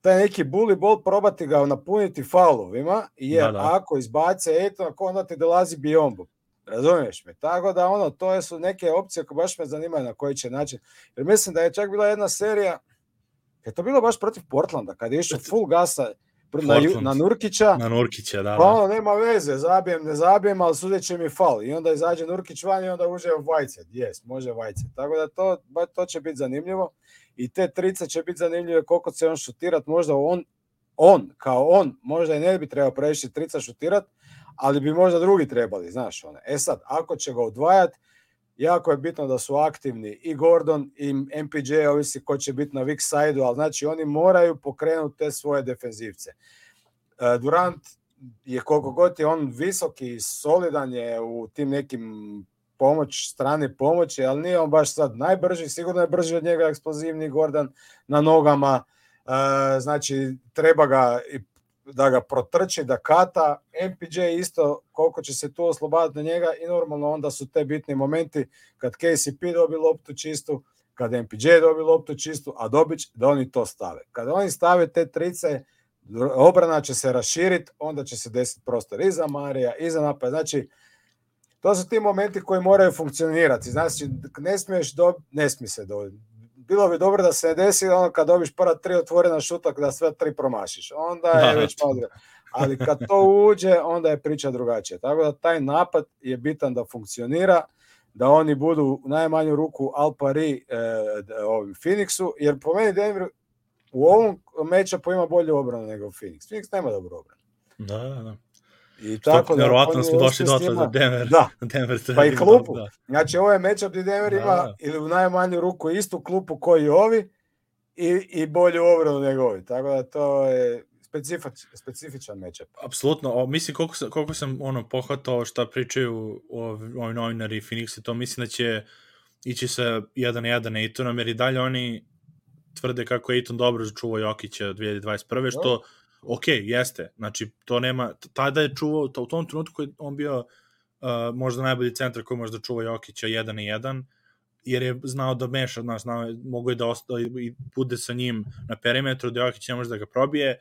[SPEAKER 2] taj neki bully ball, probati ga napuniti faulovima, jer ako izbace Aytona, onda ti dolazi Biyombo. Razumiješ me? Tako da to su neke opcije koje baš me zanimaju na koji će način. Jer mislim da je čak bila jedna serija, je to bilo baš protiv Portlanda, kad je išao full gasa na Nurkića.
[SPEAKER 1] Na Nurkića, da.
[SPEAKER 2] Pa nema veze, zabijem, ne zabijem, ali sudeće mi faul. I onda izađe Nurkić van i onda uđe Whiteside. Može Whiteside. Tako da to će biti zanimljivo. I te trice će biti zanimljive koliko će on šutirat. Možda on, možda i ne bi trebao previše trica šutirat, ali bi možda drugi trebali, znaš one. Sad, ako će ga odvajati, jako je bitno da su aktivni i Gordon i MPJ, ovisi ko će biti na weak side-u, ali znači oni moraju pokrenuti te svoje defenzivce. Durant je koliko god je on visoki i solidan je u tim nekim pomoć, strane pomoći, ali nije on baš sad najbrži, sigurno je brži od njega eksplozivni Gordon na nogama, znači treba ga da ga protrči, da kata, MPJ isto koliko će se tu oslobaditi na njega i normalno onda su te bitni momenti kad KCP dobi loptu čistu, kad MPJ dobi loptu čistu, a Dobić da oni to stave. Kad oni stave te trice, obrana će se raširiti, onda će se desiti prostor i za Marija, i za napad. Znači, to su ti momenti koji moraju funkcionirati. Znači, ne smije se dobiti. Bilo bi dobro da se desi ono kad dobiš prva 3 otvorena šuta da sve 3 promašiš. Onda je već malo. Ali kad to uđe, onda je priča drugačija. Tako da taj napad je bitan da funkcionira, da oni budu u najmanju ruku al pari Phoenixu, jer po meni Denver u ovom matchupu ima bolju obranu nego Phoenix. Phoenix nema dobru obranu.
[SPEAKER 1] Da.
[SPEAKER 2] I tako
[SPEAKER 1] vjerovatno smo došli dotle za Denver.
[SPEAKER 2] Da.
[SPEAKER 1] Denver
[SPEAKER 2] pa i klupu. Da. Znači, ovo je matchup gdje Denver ima ili u najmanju ruku istu klupu koji i ovi i bolju obranu nego ovi. Tako da to je specifičan matchup.
[SPEAKER 1] Apsolutno. Mislim, koliko sam pohvatao šta pričaju ovi novinari Phoenix, to mislim da će ići sa 1-1 Aytonom, jer i dalje oni tvrde kako je Ayton dobro začuvao Jokića 2021. Što ok, jeste. Znači, to nema, tada je čuvao, u tom trenutku je on bio možda najbolji centar koji može da čuva Jokića 1-1, jer je znao da meša, mogo je da i bude sa njim na perimetru, da Jokić ne može da ga probije,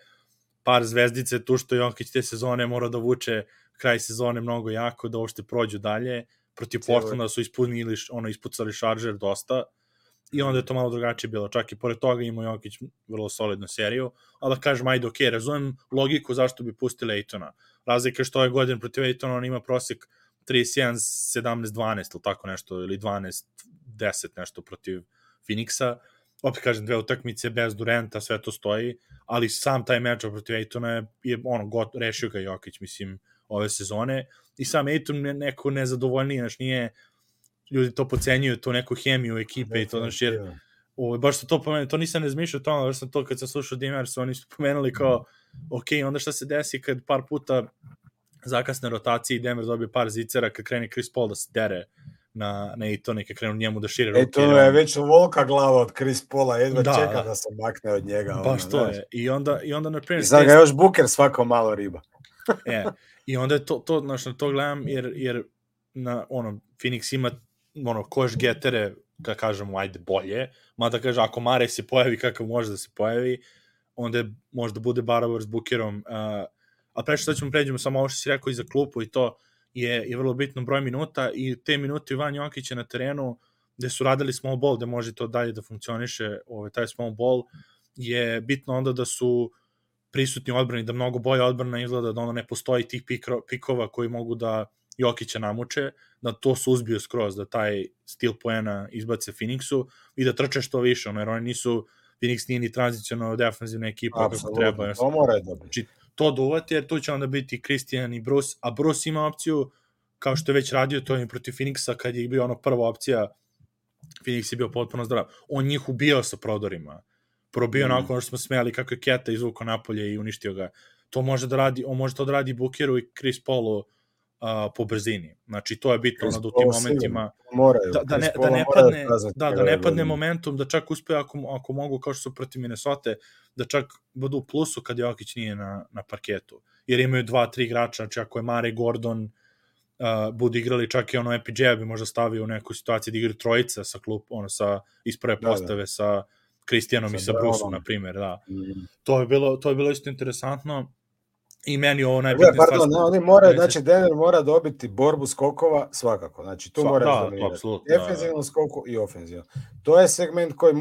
[SPEAKER 1] par zvezdice, tu što Jokić te sezone mora da vuče kraj sezone mnogo jako, da uopšte prođu dalje, protiv Portlanda su ispucali šaržer dosta, i onda je to malo drugačije bilo. Čak i pored toga imao Jokić vrlo solidnu seriju, ali da kažem, ajde, ok, razumem logiku zašto bi pustili Aytona. Razlika je što ove godine protiv Aytona on ima prosek 31, 17, 12 ili tako nešto, ili 12, 10 nešto protiv Phoenixa. Opet kažem, 2 utakmice bez Duranta, sve to stoji, ali sam taj matchup protiv Aytona je rešio ga Jokić, mislim, ove sezone. I sam Ayton je neko nezadovoljniji, znači nije ljudi to pocenjuju, tu neku hemiju ekipe i to, znači, jer baš su to pomenuli, to nisam razmišljao o tome, baš sam to kad sam slušao Dimers, oni su pomenuli kao, ok, onda šta se desi kad par puta zakasne rotacije i Denver dobije par zicera, kad krene Chris Paul da se dere na Aytona i kad krenu njemu da šire ruke.
[SPEAKER 2] To je već volka glava od Chris Paula, jedva čeka da se makne od njega.
[SPEAKER 1] Baš to je. I onda na primjer...
[SPEAKER 2] I sad ga još Booker svako malo riba.
[SPEAKER 1] I onda je to, znači, na to gledam, jer Phoenix ima koš getere, da kažemo, ajde, bolje, mada kaže, ako Mare se pojavi kakav može da se pojavi, onda je, možda bude barabar s Bookerom, a prešao sad ćemo pređemo samo ovo što si rekao i za klupu i to je vrlo bitno broj minuta i te minute Ivan Jokića na terenu gde su radili small ball, gde može to dalje da funkcioniše, taj small ball, je bitno onda da su prisutni odbrani, da mnogo bolje odbrana izgleda, da onda ne postoji tih pikova koji mogu da Jokića namuče, da to suzbiju skroz, da taj stil poena izbace Phoenixu i da trče što više, jer oni nisu, Phoenix nije ni tranzicionalno defensivna ekipa kako treba.
[SPEAKER 2] To mora dobiti.
[SPEAKER 1] Znači, to duvati, jer tu će onda biti Christian i Bruce, a Bruce ima opciju, kao što je već radio, to je protiv Phoenixa, kad je bio prva opcija, Phoenix je bio potpuno zdrav. On njih ubijao sa prodorima. Probio nakon što smo smijali kako je Keta izvukao napolje i uništio ga. To može da radi, on može to da radi Bookeru i Chris Paulu po brzini. Znači, to je bitno da u tim momentima da ne padne momentum, da čak uspe ako mogu, kao što su protiv Minnesota, da čak budu u plusu kad Jokić nije na parketu. Jer imaju 2-3 igrača, znači ako je Mare Gordon budu igrali, čak i MPJ bi možda stavio u neku situaciju da igraju trojica sa sa iz prve postave sa Kristijanom i sa Bruceom, na primjer, da. To je bilo isto interesantno. I meni ovo najbitnije stvar...
[SPEAKER 2] Oni moraju, znači Denver mora dobiti borbu skokova svakako, znači tu moraju dominirati defenzivnu skoku i ofenzivnu. To je segment koji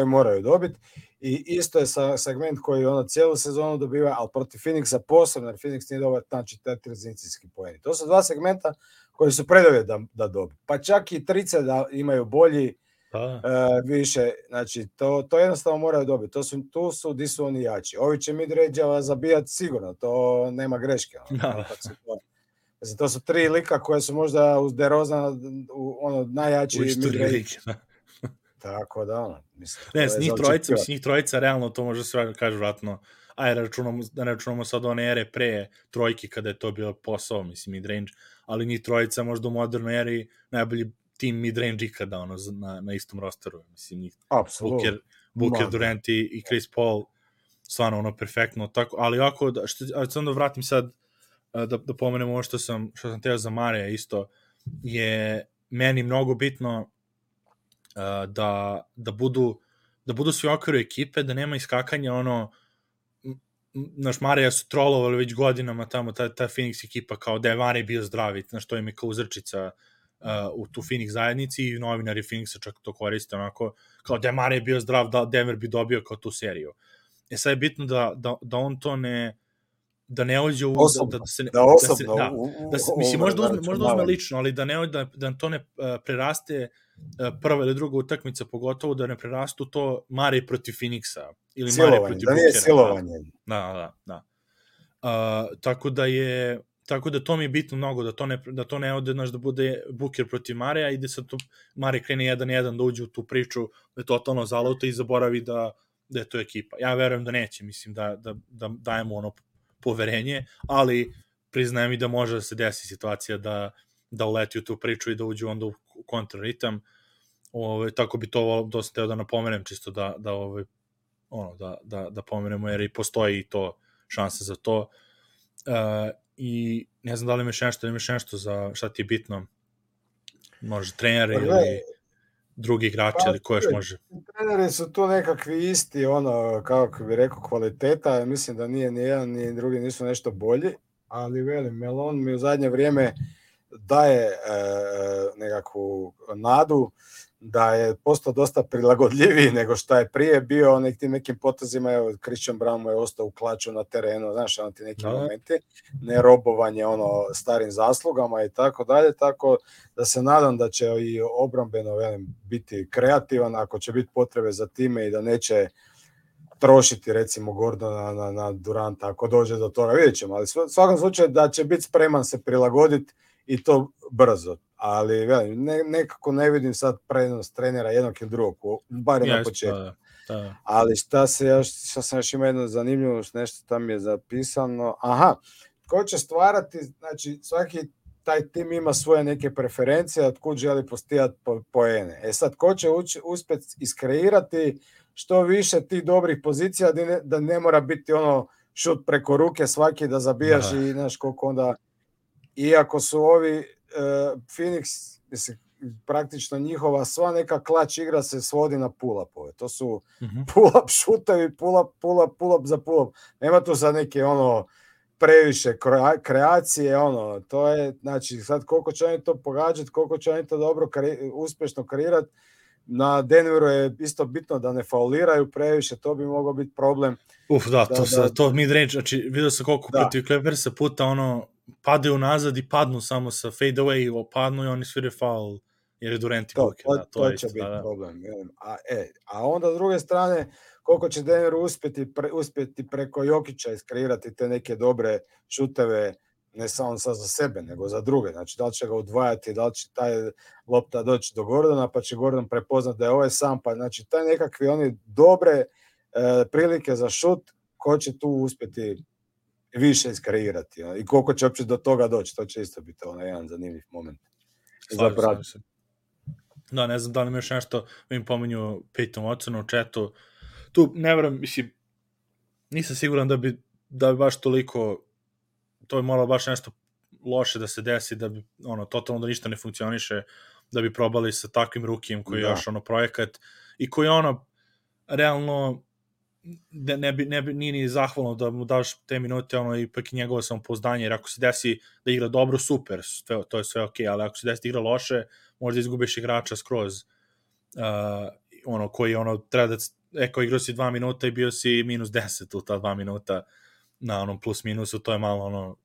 [SPEAKER 2] moraju dobiti i isto je segment koji cijelu sezonu dobiva, ali protiv Phoenixa posebno, jer Phoenix nije dobar, znači te tranzicijski poeni. To su dva segmenta koji su preduvjet da dobiju. Pa čak i trice da imaju bolji više, znači to jednostavno moraju dobiti. Tu su di su oni jači. Ovi će mid-range zabijati sigurno, to nema greške. To su 3 lika koje su možda uz DeRozana najjači mid-range. Tako da mislim.
[SPEAKER 1] Ne, s njih trojica realno to može sve kaže vratno ajde da ne računamo sad one ere pre trojke kada je to bio posao, mislim, midrange, ali njih trojica možda u modernoj eri najbolji tim midrange ikada, ono, na istom rosteru, mislim, njih Booker, Durant i Chris Paul, stvarno, ono, perfektno, tako, ali ako, sam da vratim sad, da pomenem ovo što sam teo za Mareja isto, je meni mnogo bitno da budu svi u okviru ekipe, da nema iskakanja, ono, naš Marija su trolovali već godinama tamo, ta Phoenix ekipa, kao da je Marija bio zdravi, znaš, to im je kao uzrčica u tu Phoenix zajednici i novinari Phoenixa čak to koriste, onako, kao da je Marija bio zdrav, da Denver bi dobio kao tu seriju. Sad je bitno da on to da ne uđe u... Mislim, možda uzme lično, ali da to ne preraste prva ili druga utakmica, pogotovo da ne prerastu to Mare protiv Phoenixa. Ili Mare protiv Bookera.
[SPEAKER 2] Da nije silovanje.
[SPEAKER 1] Da. Tako da to mi je bitno mnogo, da to ne ode, da bude Booker protiv Mareja i da sad Mare krene 1-1 da uđe u tu priču, da je totalno zaluta i zaboravi da je to ekipa. Ja verujem da neće, mislim da dajemo ono poverenje, ali priznajem i da može da se desi situacija da uleti u tu priču i da uđe onda u kontraritam. Tako bi to dosta teo da napomenem, čisto da pomenemo, jer i postoji to šansa za to. I ne znam da li imaš nešto za šta ti je bitno, može treneri ili drugi igrači ili ko još može.
[SPEAKER 2] Treneri su tu nekakvi isti, ono, kako bi rekao, kvaliteta, mislim da nije ni jedan ni drugi nisu nešto bolji, ali velim, Melon mi u zadnje vrijeme daje nekakvu nadu da je postao dosta prilagodljiviji nego što je prije bio, nekim potezima, evo, Christian Brown mu je ostao u klaču na terenu, znaš, ono ti neki momenti, ne robovanje starim zaslugama i tako dalje, tako da se nadam da će i obrambeno, velim, biti kreativan, ako će biti potrebe za time i da neće trošiti, recimo, Gordona na Duranta, ako dođe do toga, vidjet ćemo, ali u svakom slučaju da će biti spreman se prilagoditi i to brzo, ali nekako ne vidim sad prenos trenera jednog ili drugog, bar na početku. Da. Ali šta sam još ima jedno zanimljivo, nešto tam je zapisano, ko će stvarati, znači svaki taj tim ima svoje neke preferencije, od kud želi postijati poene. Sad, ko će uspjeti iskreirati što više tih dobrih pozicija, da ne mora biti ono šut preko ruke svaki da zabijaš i znaš koliko onda, iako su ovi Phoenix, mislim, praktično njihova sva neka klač igra se svodi na pull-upove. To su pull-up šutevi, pull-up za pull-up. Nema tu sad neke previše kreacije, to je, znači, sad koliko će oni to pogađati, koliko će oni to dobro uspješno kreirati. Na Denveru je isto bitno da ne fauliraju previše, to bi mogao biti problem.
[SPEAKER 1] To mid-range, znači vidio sam koliko protiv Clippersa puta padaju nazad i padnu samo sa fade away, padnu i oni svire faul jer je Durant i Booker.
[SPEAKER 2] To će biti problem. A onda s druge strane, koliko će Denver uspjeti preko Jokića iskreirati te neke dobre šuteve, ne samo sad za sebe, nego za druge. Znači, da li će ga udvajati, da li će taj lopta doći do Gordona, pa će Gordon prepoznat da je ovaj sam, pa znači taj nekakvi oni dobre prilike za šut, ko će tu uspjeti više iskreirati i koliko će uopće do toga doći, to će isto biti jedan zanimljiv moment.
[SPEAKER 1] Da, ne znam da li imaš nešto, im pominju Peyton Watson u chatu, tu ne verujem, mislim, nisam siguran da bi baš toliko, to je moralo baš nešto loše da se desi, da bi, totalno da ništa ne funkcioniše, da bi probali sa takvim rukijem koji je još projekat i koji realno nije ni zahvalno da mu daš te minute, ipak i njegovo samopouzdanje, jer ako se desi da igra dobro, super, to je sve okej, ali ako se desi da igra loše, možda izgubiš igrača skroz, koji treba da, ako igrao si 2 minuta i bio si minus 10 u ta 2 minuta na plus minusu, to je malo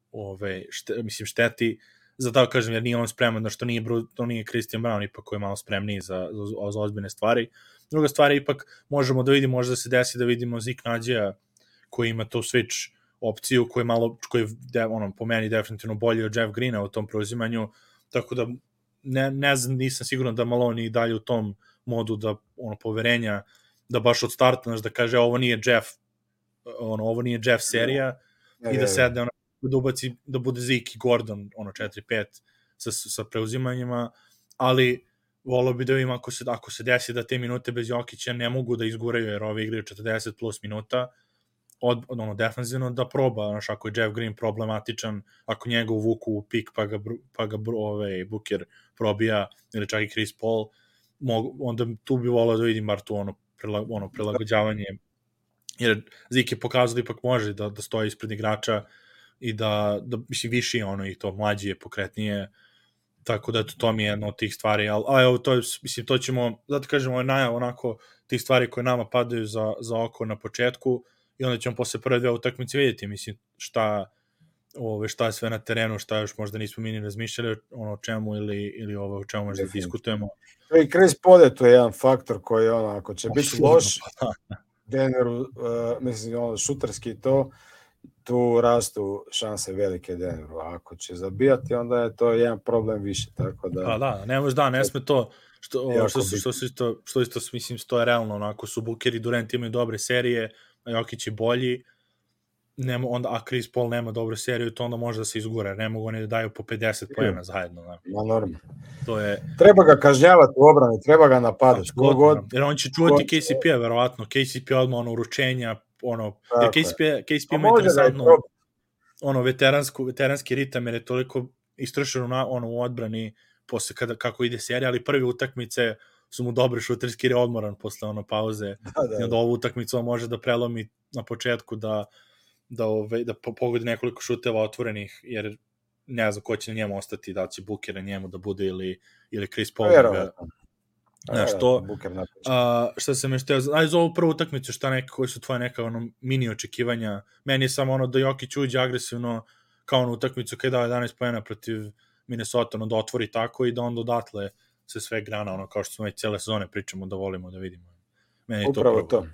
[SPEAKER 1] šteti, za tako kažem, jer nije on spreman, što nije Christian Brown, ipak koji je malo spremniji za ozbiljne stvari. Druga stvar je, ipak možemo da vidimo, možda se desi da vidimo Zik Nađija koji ima tu switch opciju, koji je po meni definitivno bolji od Jeff Greena u tom preuzimanju, tako da ne znam, nisam siguran da Malone i dalje u tom modu da poverenja, da baš od starta, da kaže ovo nije Jeff ovo nije Jeff serija, i da sedne, da ubaci, da bude Zeke i Gordon, 4-5 sa preuzimanjima, ali volio bi da vidim ako se desi da te minute bez Jokića ne mogu da izguraju, jer ovi igraju 40 plus minuta, defanzivno da proba, znaš, ako je Jeff Green problematičan, ako njega uvuku u pik pa ga Booker probija, ili čak i Chris Paul, onda tu bi volio da vidim bar tu prilagođavanje, jer Zeke je pokazao da ipak može da stoji ispred igrača i da mislim, viši i to mlađi je, pokretnije, tako da to mi je jedna od tih stvari, ali evo, to ćemo, zato kažemo, najav onako tih stvari koje nama padaju za oko na početku, i onda ćemo posle prve 2 utakmice vidjeti, mislim, šta je sve na terenu, šta još možda nismo mi ni razmišljali o čemu ili o čemu možda diskutujemo.
[SPEAKER 2] I Chris Paul je to jedan faktor koji, ako će biti loš, Denveru, mislim, šuterski tu rastu šanse velike Denveru, a ako će zabijati, onda je to jedan problem više, tako da...
[SPEAKER 1] Pa da, ne sme to, što isto, mislim, to je realno, onako su Booker i Durant imaju dobre serije, a Jokić je bolji, a Chris Paul nema dobru seriju, to onda može da se izgura, ne mogu oni da daju po 50 poena zajedno.
[SPEAKER 2] Normalno.
[SPEAKER 1] To je...
[SPEAKER 2] Treba ga kažnjavati u obrani, treba ga napadati.
[SPEAKER 1] Jer on će čuvati KCP-a, verovatno. KCP odmah uručenja, jer KCP ima interesantno veteranski ritam, jer je toliko istršen u odbrani posle kako ide serija, ali prve utakmice su mu dobri šuterski, jer je odmoran posle pauze. I onda ovu utakmicu on može da prelomi na početku da pogodi nekoliko šuteva otvorenih, jer ne znam ko će na njemu ostati, da će Booker na njemu da bude ili Chris Paul. Šta sam još teo, za ovu prvu utakmicu, koji su tvoje neka mini očekivanja? Meni je samo da Jokić uđe agresivno kao na utakmicu kada je dao 11 poena protiv Minnesota, da otvori tako i da onda odatle se sve grana, kao što smo već cijele sezone pričamo da volimo da vidimo. Meni
[SPEAKER 2] upravo to.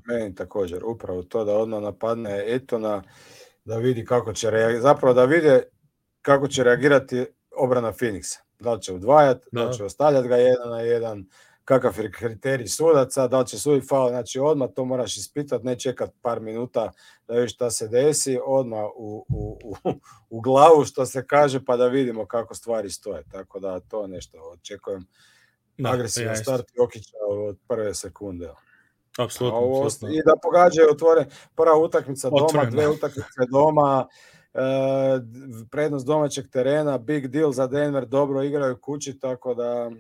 [SPEAKER 2] Meni također, upravo to, da odmah napadne Etona, da vidi kako će reagirati, zapravo da vide kako će reagirati obrana Phoenixa. Da li će udvajati, da li će ostavljati ga 1-1, kakav je kriterij sudaca, da li će suditi faul, znači odmah to moraš ispitati, ne čekati par minuta da vidiš šta se desi, odmah u glavu što se kaže, pa da vidimo kako stvari stoje. Tako da to nešto očekujem. Agresivan start Jokića od prve sekunde.
[SPEAKER 1] Apsolutno.
[SPEAKER 2] I da pogađaju prva utakmica doma, 2 utakmice doma, prednost domaćeg terena, big deal za Denver, dobro igraju kući, tako da...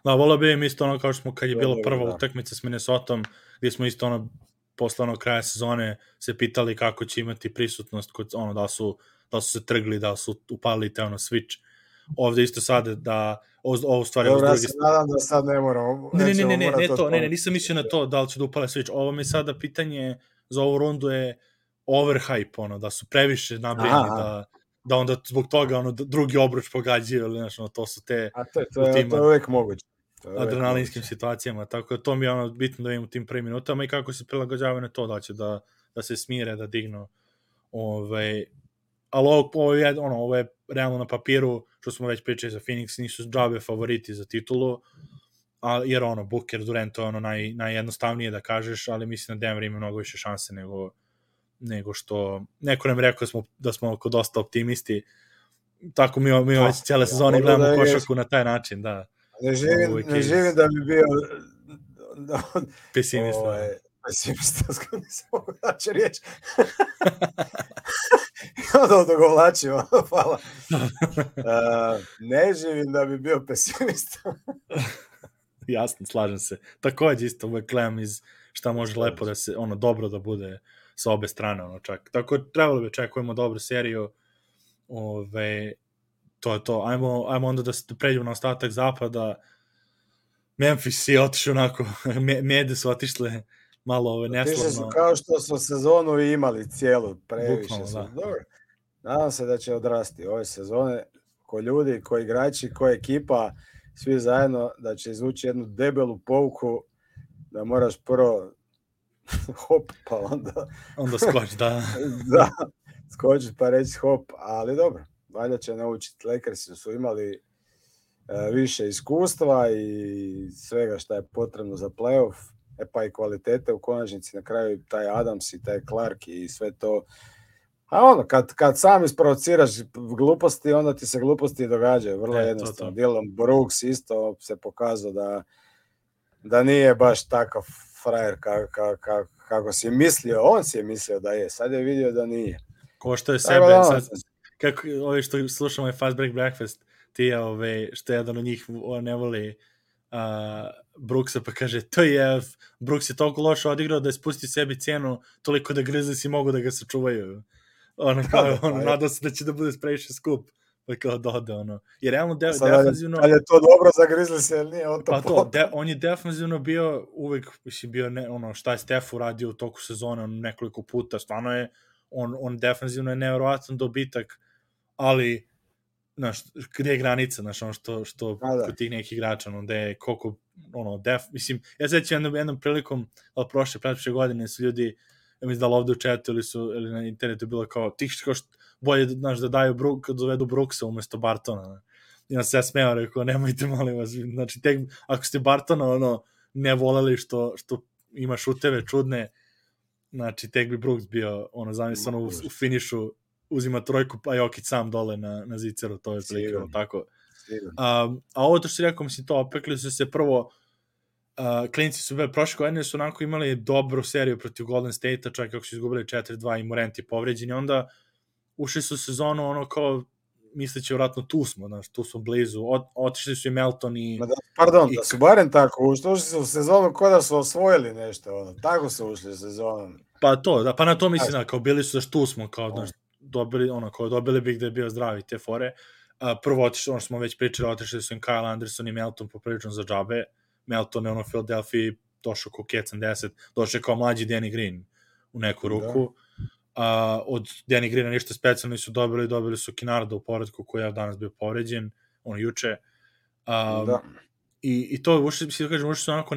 [SPEAKER 1] Da, volio bi im isto kao što smo kad je bila prva utakmica s Minnesotom, gdje smo isto posle kraja sezone se pitali kako će imati prisutnost, da su se trgli, da su upalili te switch. Ovde isto sad da ovo stvari...
[SPEAKER 2] Dobro, ja se nadam da sad ne moramo...
[SPEAKER 1] Ne, nisam mislio na to da li će da upale switch. Ovo mi sada pitanje za ovu rundu je overhype, da su previše nabrijeni, da onda zbog toga drugi obruč pogađaju, ili to su te...
[SPEAKER 2] A to je uvijek moguće.
[SPEAKER 1] Adrenalinskim situacijama, tako da to mi je bitno da vidim u tim prvim minutama i kako se prilagođavaju na to, da će da se smire, da dignu. Ali ovo je realno na papiru, što smo već pričali za Phoenix, nisu džabe favoriti za titulu, jer Booker, Durant, to je najjednostavnije da kažeš, ali mislim da Denver ima mnogo više šanse nego što... Neko nam rekao da smo dosta optimisti, tako mi već cijele sezone gledamo košarku na taj način, da.
[SPEAKER 2] Ne živim da bi bio
[SPEAKER 1] pesimista.
[SPEAKER 2] Pesimista, nisam mogu daći riječ. Onda odogovlačimo, hvala. Ne živim da bi bio pesimista.
[SPEAKER 1] Jasno, slažem se. Također isto uvek gledam iz šta može lepo da se, dobro da bude sa obe strane, čak. Tako trebalo bi očekujemo dobru seriju. To je to. Ajmo onda da pređemo na ostatak zapada. Memphis je otišao onako, mjede su otišle malo neslavno.
[SPEAKER 2] Otišli su kao što su sezonu imali cijelu, previše su. Dobro. Nadam se da će odrasti ove sezone, ko ljudi, ko igrači, ko ekipa, svi zajedno, da će izvući jednu debelu pouku, da moraš prvo hop, pa
[SPEAKER 1] onda skoči, da.
[SPEAKER 2] Da, skoči pa reći hop, ali dobro. Valjda će naučiti. Lakersi su imali više iskustva i svega što je potrebno za playoff. pa i kvalitete u konačnici, na kraju taj Adams i taj Clark i sve to. A ono, kad sam isprovociraš gluposti, onda ti se gluposti događaju, vrlo jednostavno. Dylan Brooks isto se pokazao da nije baš takav frajer kako si mislio, on si je mislio da je, sad je vidio da nije.
[SPEAKER 1] Ko što je sebe, sad, kako ovi što slušamo je Fast Break Breakfast, ti što jedan od njih ne voli Brooksa, pa kaže, to je, Brooks je toliko loše odigrao da je spustio sebi cijenu toliko da Grizzlies mogu da ga sačuvaju. Nadao se da će da bude previše skup. Kao dode, jer realno defanzivno...
[SPEAKER 2] Ali je to dobro za Grizzlies, ili nije?
[SPEAKER 1] On je defanzivno bio uvek, bio šta je Steph uradio u toku sezone nekoliko puta, stvarno je, on defanzivno je nevjerovatan dobitak, ali, znaš, gde je granica, znaš, što kod tih nekih igrača, da je koliko, mislim, ja sećam jednom prilikom, ali prošle godine su ljudi, ja mislim da ovde u chatu ili na internetu bilo kao, tih što bolje, znaš, da daju kad dovedu Brooksa umesto Bartona. I on se ja smeo, rekao, nemojte, molim vas. Znači, ako ste Bartona, ne voleli što ima šuteve čudne, znači, tek bi Brooks bio, zamisleno u finišu, uzima trojku, pa Jokić sam dole na ziceru, to je prilikao, tako. A ovo to što si rekao, mislim, to opekli su se prvo, klinci su bili, prošle godine su onako imali dobru seriju protiv Golden State-a, čak kako su izgubili 4-2 i Morant je povređen, i onda ušli su sezonu, kao, misleći vratno tu smo blizu, otišli su i Melton i...
[SPEAKER 2] Da su barem tako, ušli su u sezonu kao da su osvojili nešto, tako su ušli u sezonu.
[SPEAKER 1] Pa to, pa na to mislim, kao bili su tu smo, kao, znaš, dobili bi gde je bio zdravi te fore. Prvo otišli, što smo već pričali, otišli su im Kyle Anderson i Melton poprilično za džabe. Melton je u Philadelphia došao kao Kecan 10, došao kao mlađi Danny Green u neku ruku. Od Danny Greena ništa specijalno su dobili su Kinarda u povratku koji je danas bio povređen, juče. I to, ušli su onako,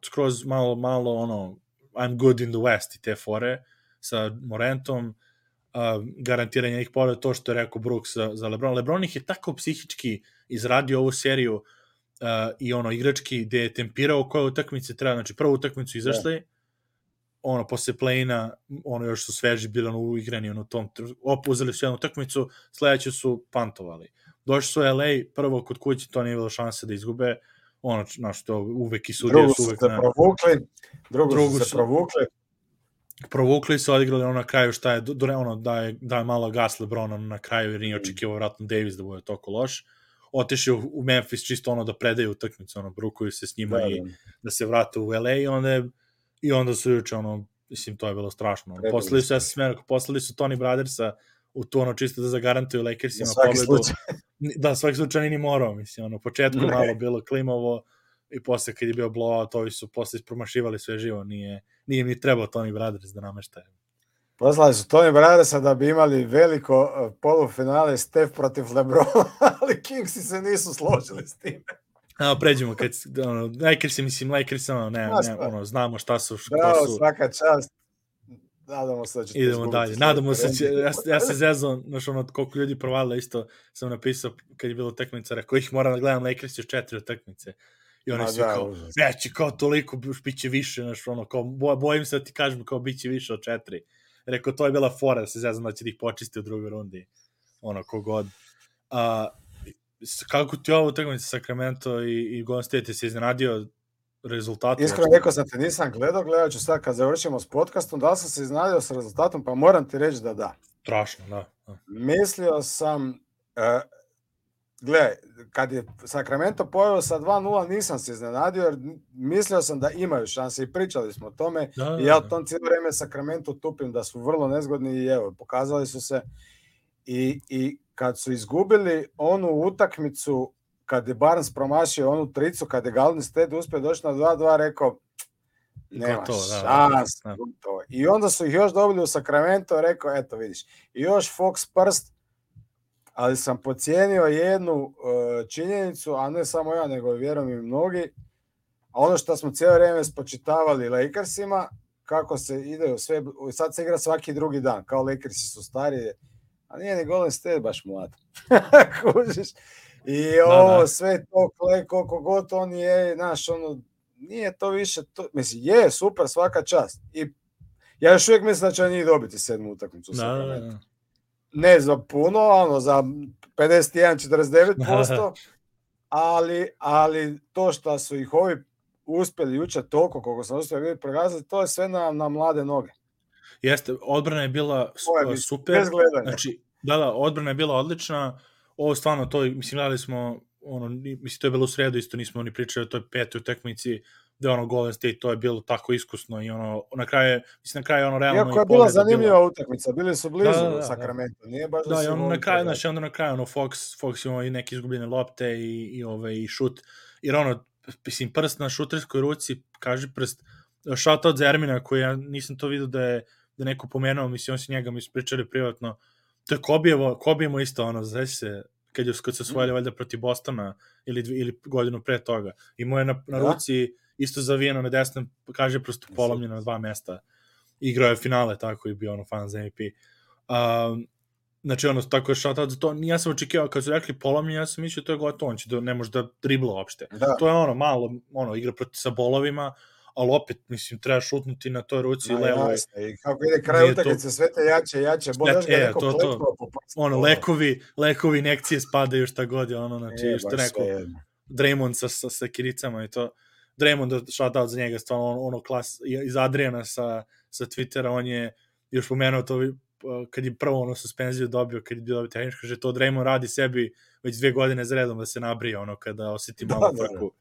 [SPEAKER 1] skroz malo, I'm good in the West i te fore sa Morantom, garantiranje njih povreda, to što je rekao Brooks za LeBron. LeBron ih je tako psihički izradio ovu seriju i igrački gde je tempirao koje utakmice treba, znači prvu utakmicu izašli, posle play-ina, još su sveži bili uigrani u tom, opuzeli su jednu utakmicu, sledeću su pantovali. Došli su u LA, prvo kod kuće, to nije bilo šanse da izgube, to uvek i sudije su uvek
[SPEAKER 2] drugu su se provukli.
[SPEAKER 1] Provukli su, odigrali na kraju šta je, da je malo gas LeBron na kraju, jer nije očekivao vratno Davis da bude toliko loš. Otišli u Memphis čisto da predaju utakmicu, brukuju se s njima i da se vrate u LA i onda su juče, mislim, to je bilo strašno. Poslali su Tony Brothersa u tu, čisto da zagarantuju Lakersima pobedu. Da, svaki slučaj ni morao, mislim, početku malo bilo klimovo i posle kad je bio blowout, ovi su posle ispromašivali sve živo, nije im ni trebao Tony Brothers da nameštaje.
[SPEAKER 2] Poslali su Tony Brothersa da bi imali veliko polufinale Steph protiv LeBrona, ali Kingsi se nisu složili s time.
[SPEAKER 1] Pređemo, Lakersi, znamo šta su.
[SPEAKER 2] Bravo, svaka čast. Nadamo se da ćete
[SPEAKER 1] idemo dalje. Nadamo se, ja se zezam, koliko ljudi provalila, isto sam napisao kad je bilo utakmica, rekao ih moram da gledam Lakers još 4 utakmice. I oni su kao, neće, kao toliko, bit će više, kao, bojim se da ti kažem, kao, bit će više od 4. Rekao, to je bila fora, da se zezam da će da ih počisti u drugoj rundi. Kogod. Kako ti ovo utakmica Sacramento i Golden State se iznenadio rezultatom?
[SPEAKER 2] Iskreno rekao sam te, nisam gledat ću sad kad završimo s podcastom, da li sam se iznenadio s rezultatom, pa moram ti reći da.
[SPEAKER 1] Strašno, da.
[SPEAKER 2] Mislio sam, gledaj, kad je Sacramento poveo sa 2-0, nisam se iznenadio, jer mislio sam da imaju šanse i pričali smo o tome. I ja u tom cijelo vreme Sacramento tupim da su vrlo nezgodni i evo, pokazali su se. I kad su izgubili onu utakmicu, kad je Barnes promašio onu tricu, kad je Golden State uspio doći na 2-2, rekao, nema šans. I onda su ih još dobili u Sacramento, rekao, eto vidiš, i još Fox prst, ali sam pocijenio jednu činjenicu, a ne samo ja, nego vjerujem i mnogi, a ono što smo cijelo vrijeme spočitavali Lakersima, kako se ide sve, sad se igra svaki drugi dan, kao Lakersi su stariji, a nije ni Golden State baš mlad. Kužiš? I ovo sve to, koliko god on je, znaš, nije to više, mislim, je super, svaka čast. I ja još uvijek mislim da će njih dobiti 7. utakmicu u Sacramento. Ne za puno, za 51-49%, ali to što su ih ovi uspjeli jučer toliko koliko sam uspio vidjeti pregazati, to je sve na mlade noge.
[SPEAKER 1] Jeste, odbrana je bila super. Znači, odbrana je bila odlična. Ovo stvarno, to, mislim, gledali smo, mislim, to je bilo u sredu, isto nismo ni pričali o toj 5. utakmici, gde Golden State, to je bilo tako iskusno i na kraju realno...
[SPEAKER 2] Iako je bila zanimljiva utakmica, bili su blizu Sacramento, nije baš da si...
[SPEAKER 1] Na kraju, Fox imao i neke izgubljene lopte i šut, jer mislim, prst na šuterskoj ruci, kaži prst, shoutout za Ermina, koji ja nisam to vidio da je neko pomenuo, mislim, on si njega mi ispričali privatno, to je Kobijevo isto, znači se, kad se osvojili valjda protiv Bostona ili godinu pre toga, imao je na ruci isto zavijeno na desnom, kaže prosto polomljeno na 2 mesta. Igrao je finale, tako i bio fan za MVP. Znači, tako je shoutout za to. Ja sam očekivao, kad su rekli polomljeno, ja sam mislio to je gotovo, on će ne može da dribla uopšte. To je malo, igra sa bolovima, ali opet, mislim, treba šutnuti na toj ruci levo.
[SPEAKER 2] I kako ide kraj utakmice, sve te jače, bolje ga neko kleknuo po prstu.
[SPEAKER 1] Lekovi, injekcije spadaju šta god je, znači, što neko, Draymond sa kiricama i to. Draymond, shoutout za njega, stvarno klas, iz Adriana sa Twittera, on je još pomenuo to, kad je prvo suspenziju dobio, kad je bio dobio tehničko, že to Draymond radi sebi već 2 godine za redom da se nabrije, kada osjeti malo frku.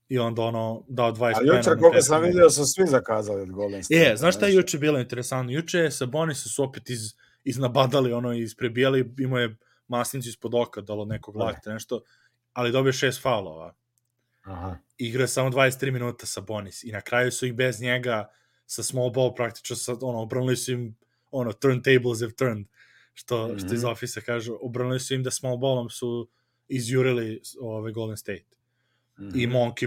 [SPEAKER 1] I onda dao 20 pojena.
[SPEAKER 2] Ali jučer, koliko sam vidio, su svi zakazali od Golden State.
[SPEAKER 1] Znaš šta je juče bilo interesantno? Juče Sabonis su opet iznabadali, isprebijali, imao je masnicu ispod oka, dalo nekog lakta, nešto, ali dobio 6 faulova. Igra samo 23 minuta Sabonis i na kraju su ih bez njega sa small ball praktično, obranili su im turntables have turned, što iz ofisa kažu, obranili su im da small ballom su izjurili Golden State. I Monk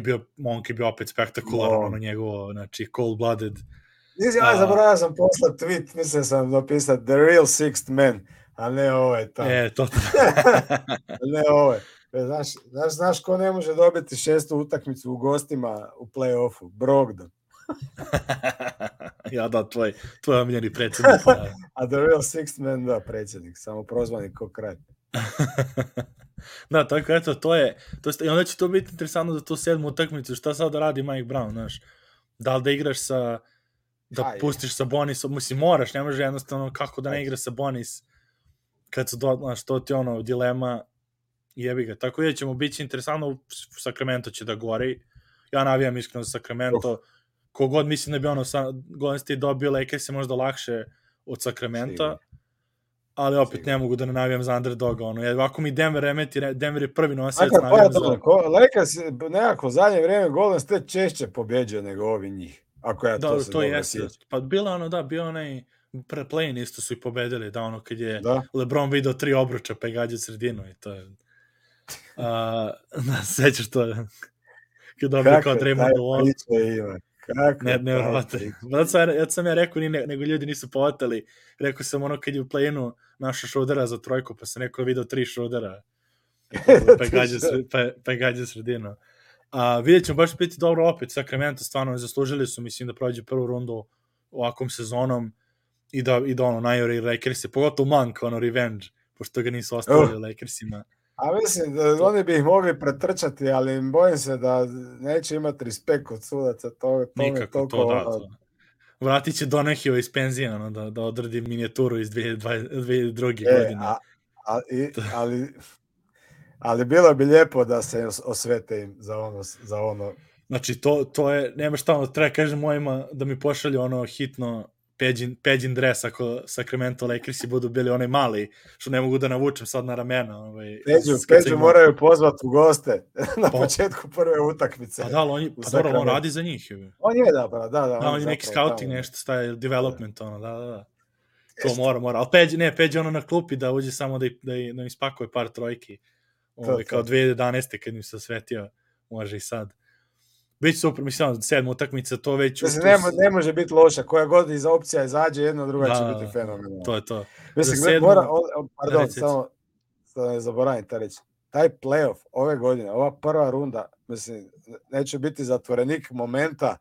[SPEAKER 1] je bio opet spektakularan, njegovo, znači, cold-blooded.
[SPEAKER 2] Zaboravio sam poslat tweet, mislim sam napisati The Real Sixth Man, a ne ovaj tamo.
[SPEAKER 1] To.
[SPEAKER 2] Ne ovaj. Znaš ko ne može dobiti 6. utakmicu u gostima u play-offu? Brogdon.
[SPEAKER 1] tvoj omiljeni predsjednik.
[SPEAKER 2] A The Real Sixth Man, predsjednik, samo prozvani ko kralj.
[SPEAKER 1] Da, tako eto, to je, i onda će to biti interesantno za tu 7. utakmicu, šta sad da radi Mike Brown, znaš, da li da igraš da pustiš Sabonisom, mislim, moraš, ne može jednostavno kako da ne igra Sabonis, kad su, znaš, to ti dilema, jebi ga, tako da ćemo biti interesantno, Sacramento će da gori, ja navijam iskreno za Sacramento, kogod mislim da bi Golden State dobio, Lakers je možda lakše od Sacramento, ali opet ne mogu da ne navijam za underdoga, ovako mi Denver remeti, Denver je prvi nosac, navijam za...
[SPEAKER 2] Lakers nekako u zadnje vrijeme Golden State češće pobjeđuje nego ovi njih, ako ja to se dobro sjećam.
[SPEAKER 1] Pa bio onaj play-in isto su i pobedili, kad je LeBron video 3 obruča pa je gađao sredinu i to je... Sećaš to? Kad dobio kao Draymond u on. Nevjerovatno. Ja sam rekao, nego ljudi nisu povatali. Rekao sam kad je u play-inu našao Schrodera za trojku, pa sam rekao video 3 Schrodera. Pa je gađao sredinu. Vidjet ćemo baš biti dobro opet. Sacramento stvarno zaslužili su, mislim, da prođe prvu rundu ovakvom sezonom i da najori Lakersi, pogotovo Monk, revenge, pošto ga nisu ostavili Lakersima.
[SPEAKER 2] A mislim, da oni bi ih mogli pretrčati, ali bojim se da neće imati respekt od sudaca.
[SPEAKER 1] Nikako to. Vratit će Donahue iz penzije, da odradi minijaturu iz 2002. godine.
[SPEAKER 2] Ali bilo bi lijepo da se osvete im za ono.
[SPEAKER 1] Znači, to je, nema šta, treba kažem mojima da mi pošalju hitno Peđin dres ako Sacramento Lakersi budu bili onaj mali, što ne mogu da navučem sad na ramena.
[SPEAKER 2] Peđu moraju pozvati u goste na početku prve utakmice.
[SPEAKER 1] Pa da, on radi za njih.
[SPEAKER 2] On je, da.
[SPEAKER 1] On je neki scouting, nešto staje, development, da. To mora. Ali Peđi na klupi da uđe samo da im spakuje par trojki. Kao 2011. kad im se osvetio, može i sad. Biće super, mislim, 7. utakmica, to već...
[SPEAKER 2] Ne može biti loša, koja god iz opcija izađe, jedna druga će biti fenomenalna.
[SPEAKER 1] To je to.
[SPEAKER 2] Mislim, samo ne zaboravim ta reći. taj playoff ove godine, ova prva runda, mislim, neće biti zatvorenik momenta,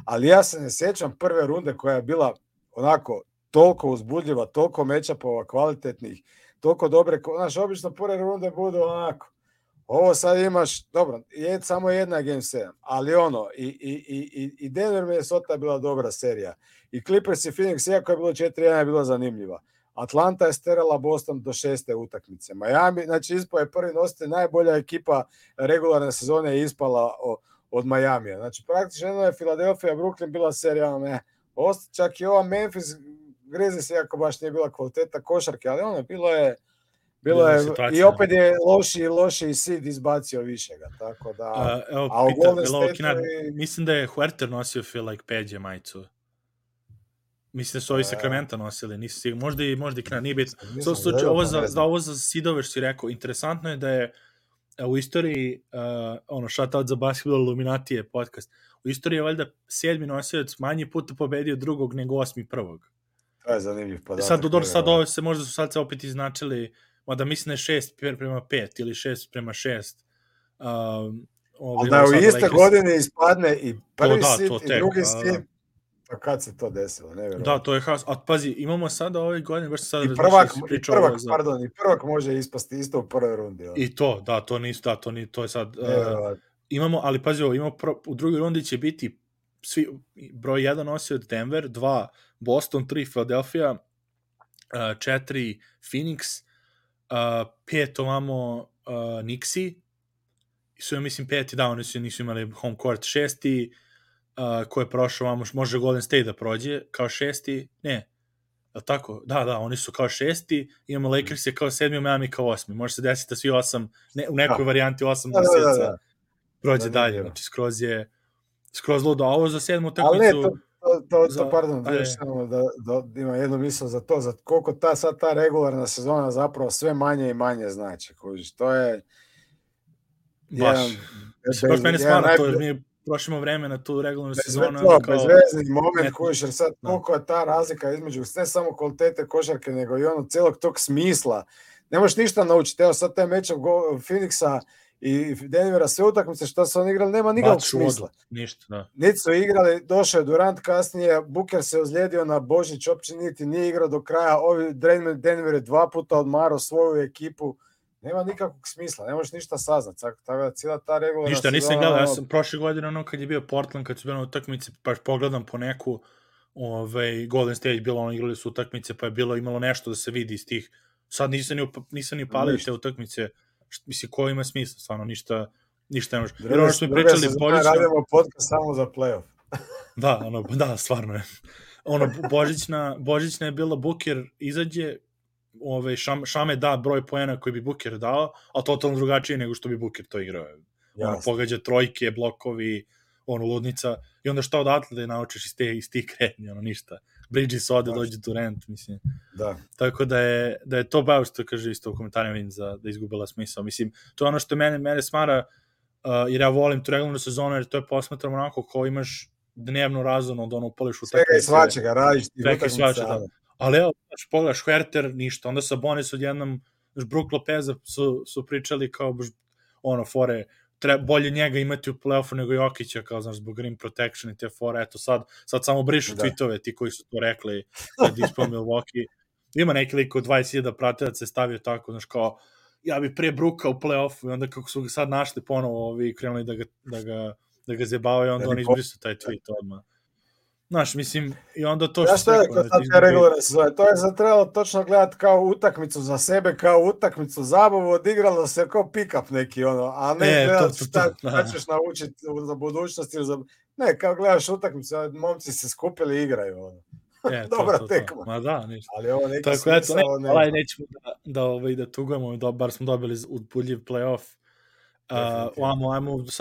[SPEAKER 2] ali ja se ne sjećam prve runde koja je bila onako toliko uzbudljiva, toliko matchupova kvalitetnih, toliko dobre, znaš, obično prve runde budu onako, ovo sad imaš, dobro, je samo jedna Game 7, ali ono, i Denver Minnesota je bila dobra serija, i Clippers i Phoenix, iako je bilo 4-1, je bila zanimljiva. Atlanta je sterala Boston do 6. utakmice. Miami, znači ispao je prvi nositelj, najbolja ekipa regularne sezone je ispala od Miamija. Znači praktično jedno je Philadelphia, Brooklyn bila serija, ne. Čak i ova Memphis Grizzlies, iako baš nije bila kvaliteta košarke, ali ono, bilo je i opet je loši seed izbacio višega, tako da...
[SPEAKER 1] Evo, pita, mislim da je Huerter nosio feel like Peđe majicu. Mislim da su ovi Sakramenta nosili, nisu sigurno, možda i Knad, nije bitno. Ovo za sidove što si rekao, interesantno je da je u istoriji, shoutout za Basketball Illuminatije podcast, u istoriji je valjda 7. nosilac manje puta pobedio drugog nego 8. prvog.
[SPEAKER 2] To je zanimljiv podatak.
[SPEAKER 1] Sad ovo se, možda su sad se opet iznačili, mada mislim da je 6:5 ili 6:6.
[SPEAKER 2] Ali da u iste godine ispadne i prvi sit i drugi sit. Pa kad se to desilo, nevjerojatno.
[SPEAKER 1] Da, to je haos. A pazi, imamo sada ove godine, baš sad
[SPEAKER 2] i prvak može ispasti isto u prvoj rundi.
[SPEAKER 1] I to, da, to nisu, da, to je sad... imamo, ali pazi ovo, u drugoj rundi će biti svi, broj 1 nosi od Denver, 2 Boston, 3 Philadelphia, 4 Phoenix, 5 ovamo Knicksi, su ja mislim 5, da, oni nisu imali home court, 6 ko je prošao, može Golden State da prođe kao 6, ne, je tako? Da, oni su kao 6, imamo Lakers je kao 7, Miami kao 8, može se desiti da svi 8, u nekoj varijanti 8 mjeseca prođe dalje, znači skroz ludo, a ovo za 7. utakmicu...
[SPEAKER 2] Ali ne, pardon, da ima jednu misl za to, za koliko ta regularna sezona zapravo sve manje i manje znači, kužiš, to je...
[SPEAKER 1] Baš mene smara to, jer mi prošimo vreme na tu regularnu sezonu.
[SPEAKER 2] Bezvezni moment kojiš, jer sad koliko je ta razlika između ne samo kvalitete košarke, nego i ono cijelog tog smisla. Ne možeš ništa naučiti. Evo sad taj meč Phoenixa i Denvera, sve utakmice što su oni igrali, nema nikakvog smisla.
[SPEAKER 1] Ništa, da.
[SPEAKER 2] Niti su igrali, došao je Durant kasnije, Booker se ozlijedio na Božić, uopće niti nije igrao do kraja, Denver je 2 puta odmarao svoju ekipu. Nema nikakvog smisla, ne možeš ništa saznat, tako da cijela ta regularna
[SPEAKER 1] ništa, nisam gledao, ja sam prošle godine, kad je bio Portland, kad su bili na utakmici, pa pogledam po neku Golden State, igrali su utakmice, pa je imalo nešto da se vidi iz tih, sad nisam ni palio te utakmice, mislim, ko ima smisla, stvarno, ništa ne može. Jer ono što mi pričali,
[SPEAKER 2] radimo podcast samo za playoff.
[SPEAKER 1] Da, stvarno je. Božićna je bila, Booker izađe, Šame da broj poena koji bi Booker dao, a totalno drugačije nego što bi Booker to igrao. Pogađa trojke, blokovi, ludnica, i onda šta odatle da je naučiš iz tih kretnji, ništa. Bridges ode, dođe Durant, mislim.
[SPEAKER 2] Da.
[SPEAKER 1] Tako da je to baš što kaže isto u komentarima vidim da izgubila smisao. Mislim, to je ono što mene smara, jer ja volim tu regularnu sezonu, jer to je posmatram onako kao imaš dnevnu razonu, da upališ u
[SPEAKER 2] svega i svačega, radiš ti utakmica.
[SPEAKER 1] Ali evo, pogledaš Huerter, ništa, onda Sabonis odjednom, Brook Lopeza su pričali kao, fore, bolje njega imati u play-offu nego Jokića, kao, znaš, zbog rim protection i te fore, eto, sad samo brišu tweetove, ti koji su to rekli, kad ispao Milwaukee, ima neki lik od 20.000 pratilaca se stavio tako, znaš, kao, ja bi prije Brooka u play-offu, i onda kako su ga sad našli ponovo, krenuli da ga zjebavaju, onda on izbrisao taj tweet odmah. Znaš, mislim, i onda to što
[SPEAKER 2] je to je trebalo točno gledati kao utakmicu za sebe, kao utakmicu zabavu, odigralo se kao pick-up neki, a ne gledati šta ćeš naučiti za budućnost ili za... Ne, kao gledaš utakmicu, momci se skupili i igraju, dobra tekma.
[SPEAKER 1] Ma da, ništa.
[SPEAKER 2] Ali ovo neki smisao...
[SPEAKER 1] Nećemo da tugujemo, bar smo dobili uzbudljiv play-off.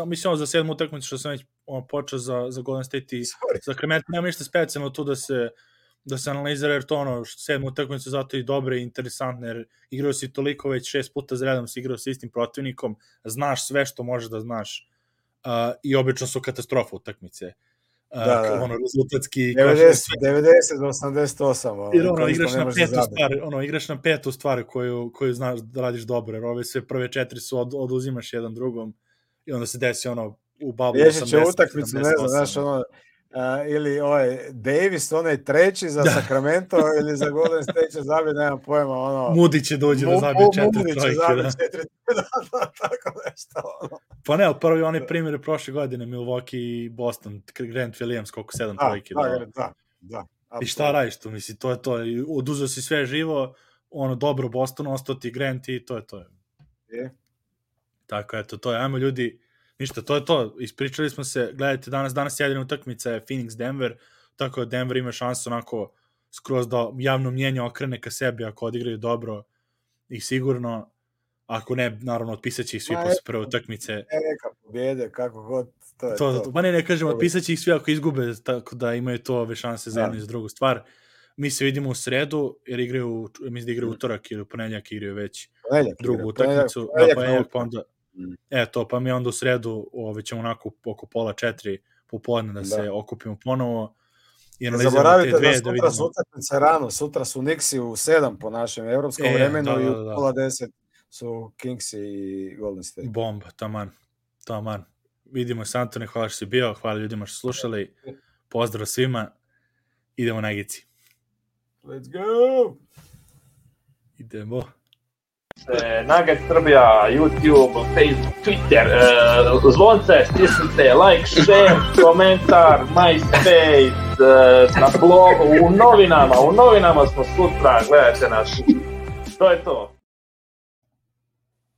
[SPEAKER 1] Mislim za 7. utakmicu što sam već počeo za Golden State i Sacramento, nema ništa specijalno tu da se analizira, jer to 7. utakmicu zato i dobre i interesantne, jer igrao si toliko već 6 puta za redom, si igrao sa istim protivnikom, znaš sve što možeš da znaš, i obično su katastrofa utakmice.
[SPEAKER 2] ono
[SPEAKER 1] rezultatski
[SPEAKER 2] 90 do 88.
[SPEAKER 1] Jer igraš na petu stvar koju znaš da radiš dobro, jer ove sve prve 4 su oduzimaš jedan drugom i onda se desi u bablu 80.
[SPEAKER 2] Će utakmicu, ne znam, znaš, ili Davis, onaj treći za Sacramento ili za Golden State će zabiti, nemam pojma,
[SPEAKER 1] Moody će dođe da zabije 4 trojke,
[SPEAKER 2] tako nešto,
[SPEAKER 1] Pa ne, prvi onaj primjer je prošle godine, Milwaukee i Boston, Grant Williams, koliko 7 trojke.
[SPEAKER 2] Da.
[SPEAKER 1] I šta radiš tu, misli, to je to, oduzeo si sve živo, dobro Boston, ostao ti Grant i to je to. Tako, eto, to je, ajmo ljudi, ništa, to je to, ispričali smo se, gledajte, danas jedina utakmica je Phoenix-Denver, tako da Denver ima šansu onako skroz da javno mnjenje okrene ka sebi ako odigraju dobro i sigurno, ako ne, naravno, otpisat će ih svi posle prve utakmice.
[SPEAKER 2] Neka pobjede, kako god, to je to.
[SPEAKER 1] Pa ne kažemo, otpisat će ih svi ako izgube, tako da imaju to ove šanse za jednu i za drugu stvar. Mi se vidimo u sredu, jer igraju utorak ili u ponedjeljak igraju već drugu utakmicu. Pa mi onda u sredu ćemo onako oko 3:30 popodne da se okupimo ponovo.
[SPEAKER 2] Ne zaboravite da sutra su utakmice rano, sutra su Knicksi u 7 po našem evropskom vremenu i u 9:30 su Kingsi i Golden State.
[SPEAKER 1] Bomba, taman. Vidimo se, Antone, hvala što si bio, hvala ljudima što slušali, pozdrav svima, idemo na Gici.
[SPEAKER 2] Let's go!
[SPEAKER 1] Idemo.
[SPEAKER 3] Nugget Srbija, YouTube, Facebook, Twitter, zvonce, stisnite, like, share, komentar, MySpace, na blogu, u novinama smo sutra, gledajte nas. To je to.